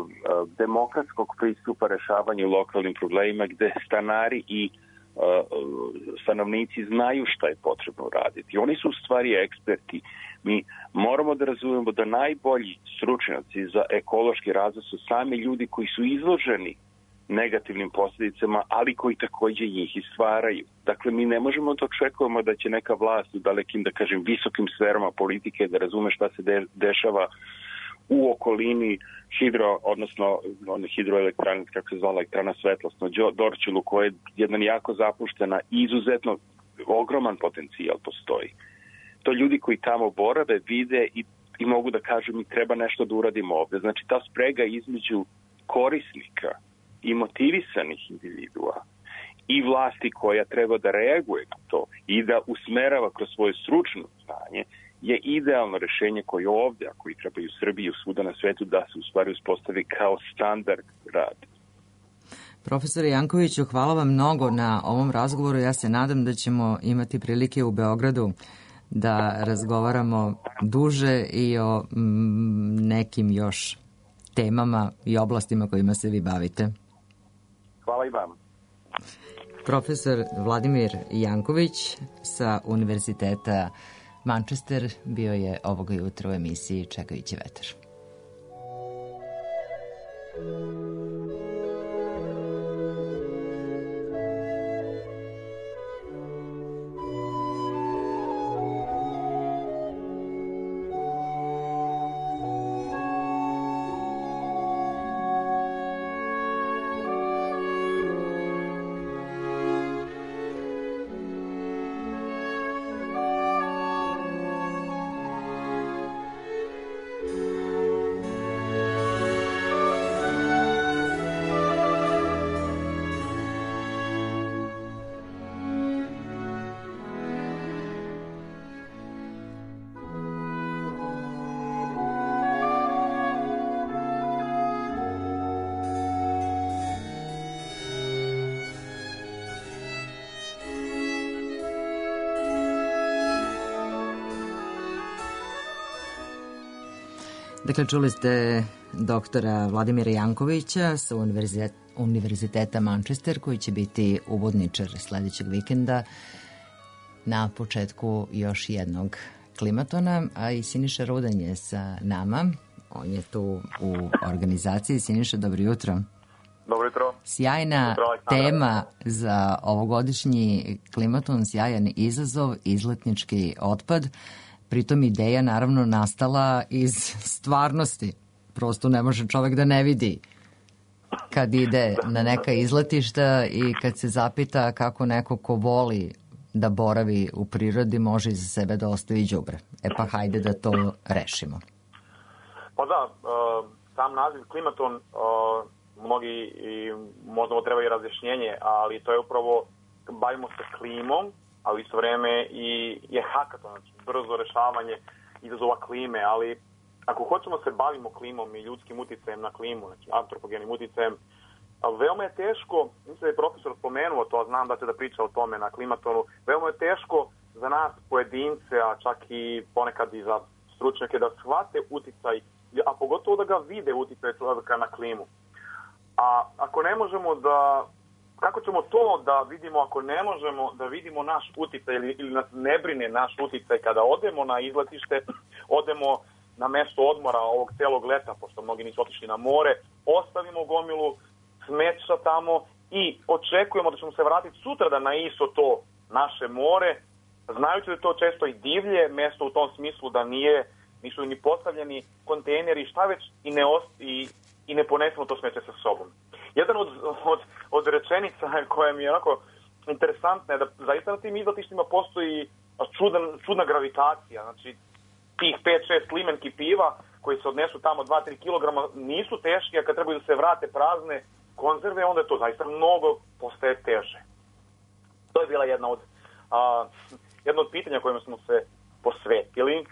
uh, demokratskog pristupa rešavanju lokalnim problemima gde stanari i uh, stanovnici znaju šta je potrebno raditi. Oni su u stvari eksperti. Mi moramo da razumemo da najbolji stručnjaci za ekološki razvoj su sami ljudi koji su izloženi negativnim posljedicama, ali koji takođe njih i stvaraju. Dakle, mi ne možemo da očekujemo da će neka vlast u dalekim, da kažem, visokim sferama politike da razume šta se de, dešava u okolini hidro, odnosno one hidroelektrane, kako se zvala elektrana Svetlost na Dorćolu, koja je jedna jako zapuštena i izuzetno ogroman potencijal postoji. To ljudi koji tamo borave, vide i, i mogu da kažu mi treba nešto da uradimo ovde. Znači, ta sprega između korisnika i motivisanih individua i vlasti koja treba da reaguje na to i da usmerava kroz svoje stručno znanje je idealno rešenje koje ovde, ako i treba i u Srbiji i svuda na svetu, da se u stvari uspostavi kao standard rada. Profesore Jankoviću, hvala vam mnogo na ovom razgovoru. Ja se nadam da ćemo imati prilike u Beogradu da razgovaramo duže i o mm, nekim još temama i oblastima kojima se vi bavite. Hvala i vam. Profesor Vladimir Janković sa Univerziteta Manchester bio je ovoga jutra u emisiji Čekajući vetar. Dakle, čuli ste doktora Vladimira Jankovića sa Univerziteta Manchester, koji će biti uvodničar sledećeg vikenda na početku još jednog klimatona, a i Siniša Rudan je sa nama. On je tu u organizaciji. Siniša, dobro jutro. Dobro jutro. Sjajna jutro, tema za ovogodišnji klimaton, sjajan izazov, izletnički otpad. Pritom ideja naravno nastala iz stvarnosti. Prosto ne može čovek da ne vidi kad ide na neka izletišta i kad se zapita kako neko ko voli da boravi u prirodi može iza sebe da ostavi đubre. E pa hajde da to rešimo. Pa da, sam naziv klimaton, mnogi i možda ovo treba i razjašnjenje, ali to je upravo, bavimo se klimom, a u isto vreme i je hakaton, znači brzo rešavanje izazova klime, ali ako hoćemo se bavimo klimom i ljudskim uticajem na klimu, znači antropogenim uticajem, veoma je teško, mislim da je profesor spomenuo to, a znam da će da priča o tome na klimatonu, veoma je teško za nas pojedince, a čak i ponekad i za stručnjake da shvate uticaj, a pogotovo da ga vide uticaj čovjeka na klimu. A ako ne možemo da, kako ćemo to da vidimo ako ne možemo da vidimo naš uticaj ili, ili nas ne brine naš uticaj kada odemo na izletište, odemo na mesto odmora ovog celog leta, pošto mnogi nisu otišli na more, ostavimo gomilu smeća tamo i očekujemo da ćemo se vratiti sutradan na isto to naše more, znajući da je to često i divlje mesto u tom smislu da nije, nisu ni postavljeni kontejneri, šta već i ne, ost, i, i ne ponesemo to smeće sa sobom. Jedan od, od, od rečenica koja mi je onako interesantna je da zaista na tim izletištima postoji čudan, čudna gravitacija, znači tih pet šest limenki piva koji se odnesu tamo dva do tri kilograma nisu teški, a kad trebaju da se vrate prazne konzerve, onda je to zaista mnogo postaje teže. To je bila jedna od, a, jedna od pitanja kojima smo se posvetili,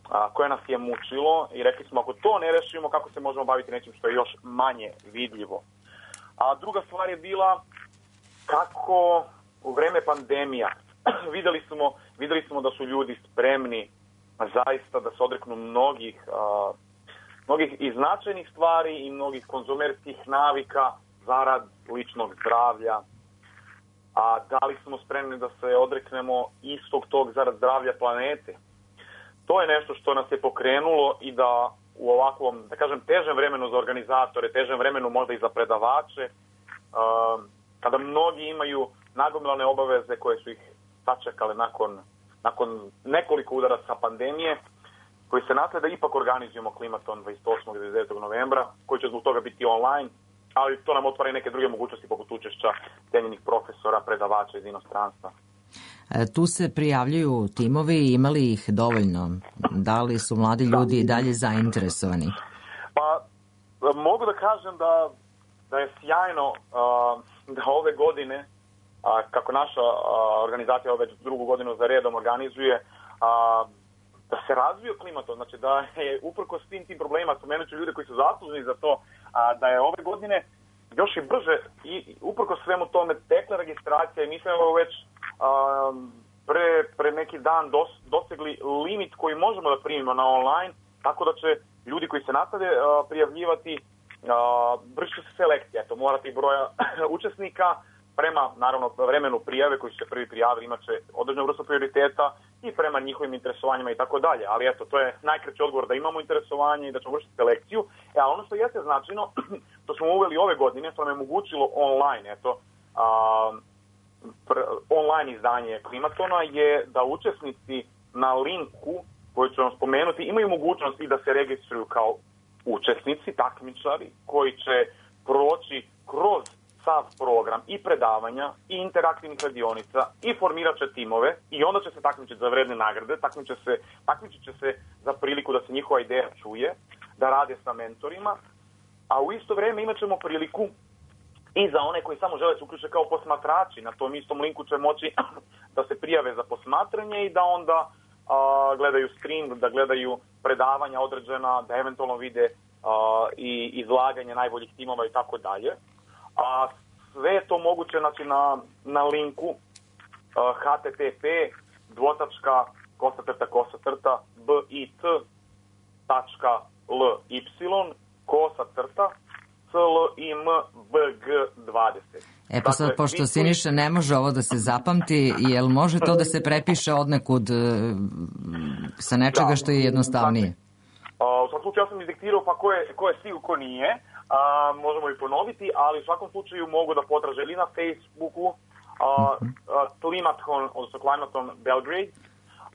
a, koje nas je mučilo i rekli smo ako to ne rešimo, kako se možemo baviti nečim što je još manje vidljivo. A druga stvar je bila kako u vreme pandemija videli smo, videli smo da su ljudi spremni zaista da se odreknu mnogih, a, mnogih i značajnih stvari i mnogih konzumerskih navika zarad ličnog zdravlja. A da li smo spremni da se odreknemo istog tog zarad zdravlja planete? To je nešto što nas je pokrenulo i da u ovakvom, da kažem, težem vremenu za organizatore, težem vremenu možda i za predavače, a, kada mnogi imaju nagomilane obaveze koje su ih sačekale nakon nakon nekoliko udaraca pandemije, koji se nasleda, ipak organizujemo klimaton dvadeset osmog i dvadeset devetog novembra, koji će zbog toga biti online, ali to nam otvara i neke druge mogućnosti poput učešća cenjenih profesora, predavača iz inostranstva. E, tu se prijavljuju timovi, imali ih dovoljno? Da li su mladi ljudi i dalje zainteresovani? Pa, mogu da kažem da, da je sjajno uh, da ove godine A, kako naša a, organizacija već drugu godinu za redom organizuje, a, da se razvio klimaton, znači da je uprko svim tim problemima, spomenuću ljude koji su zasluženi za to, a, da je ove godine još i brže i uprko svemu tome tekla registracija i mi smo već a, pre, pre neki dan dos, dosegli limit koji možemo da primimo na online, tako da će ljudi koji se nastave a, prijavljivati, vrši se selekcija, to morate i broja učesnika, prema, naravno, vremenu prijave koji su se prvi prijavili imat će određenu vrstu prioriteta i prema njihovim interesovanjima i tako dalje. Ali eto, to je najkraći odgovor da imamo interesovanje i da ćemo vršiti selekciju. E, a ono što jeste značajno, to smo uveli ove godine, što nam je omogućilo online, eto, a, pr, online izdanje klimatona je da učesnici na linku koji ću vam spomenuti imaju mogućnost i da se registruju kao učesnici, takmičari, koji će proći kroz sav program i predavanja i interaktivnih radionica i formirat će timove i onda će se takmičiti za vredne nagrade, takmičit će se, takmičit će se za priliku da se njihova ideja čuje, da rade sa mentorima, a u isto vrijeme imat ćemo priliku i za one koji samo žele se uključe kao posmatrači. Na tom istom linku će moći da se prijave za posmatranje i da onda a, gledaju stream, da gledaju predavanja određena, da eventualno vide a, i izlaganje najboljih timova i tako dalje. A sve je to moguće, znači, na, na linku uh, h t t p dvotačka kosatrta kosatrta bit tačka l y kosatrta c l i m b g dvadeset. E pa sad, dakle, pošto Siniša ne može ovo da se zapamti, jel može to da se prepiše odnekud sa nečega što je jednostavnije? U svakom slučaju ja sam izdiktirao pa ko je, ko je stigu, ko nije. A, možemo i ponoviti, ali u svakom slučaju mogu da potraže ili na Facebooku a, a, Klimaton, odnosno Klimaton Belgrade,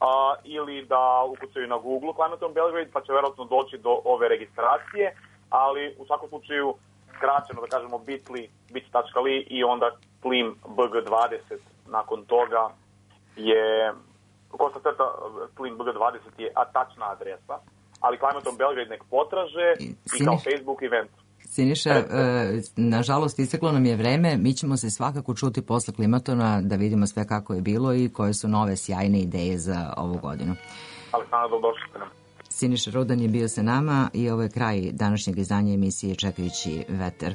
a, ili da ukucaju na Google Klimaton Belgrade, pa će verovatno doći do ove registracije, ali u svakom slučaju skraćeno da kažemo bit.ly, bit.ly i onda klim b g dvadeset nakon toga je Kosta crta klim b g dvadeset je tačna adresa, ali Klimaton Belgrade nek potraže i, i kao Facebook event. Siniša, e, nažalost, isteklo nam je vreme. Mi ćemo se svakako čuti posle Klimatona da vidimo sve kako je bilo i koje su nove sjajne ideje za ovu godinu. Aleksandra, dobrodošli ste nam. Siniša Rudan je bio sa nama i ovo je kraj današnjeg izdanja emisije Čekajući vetar.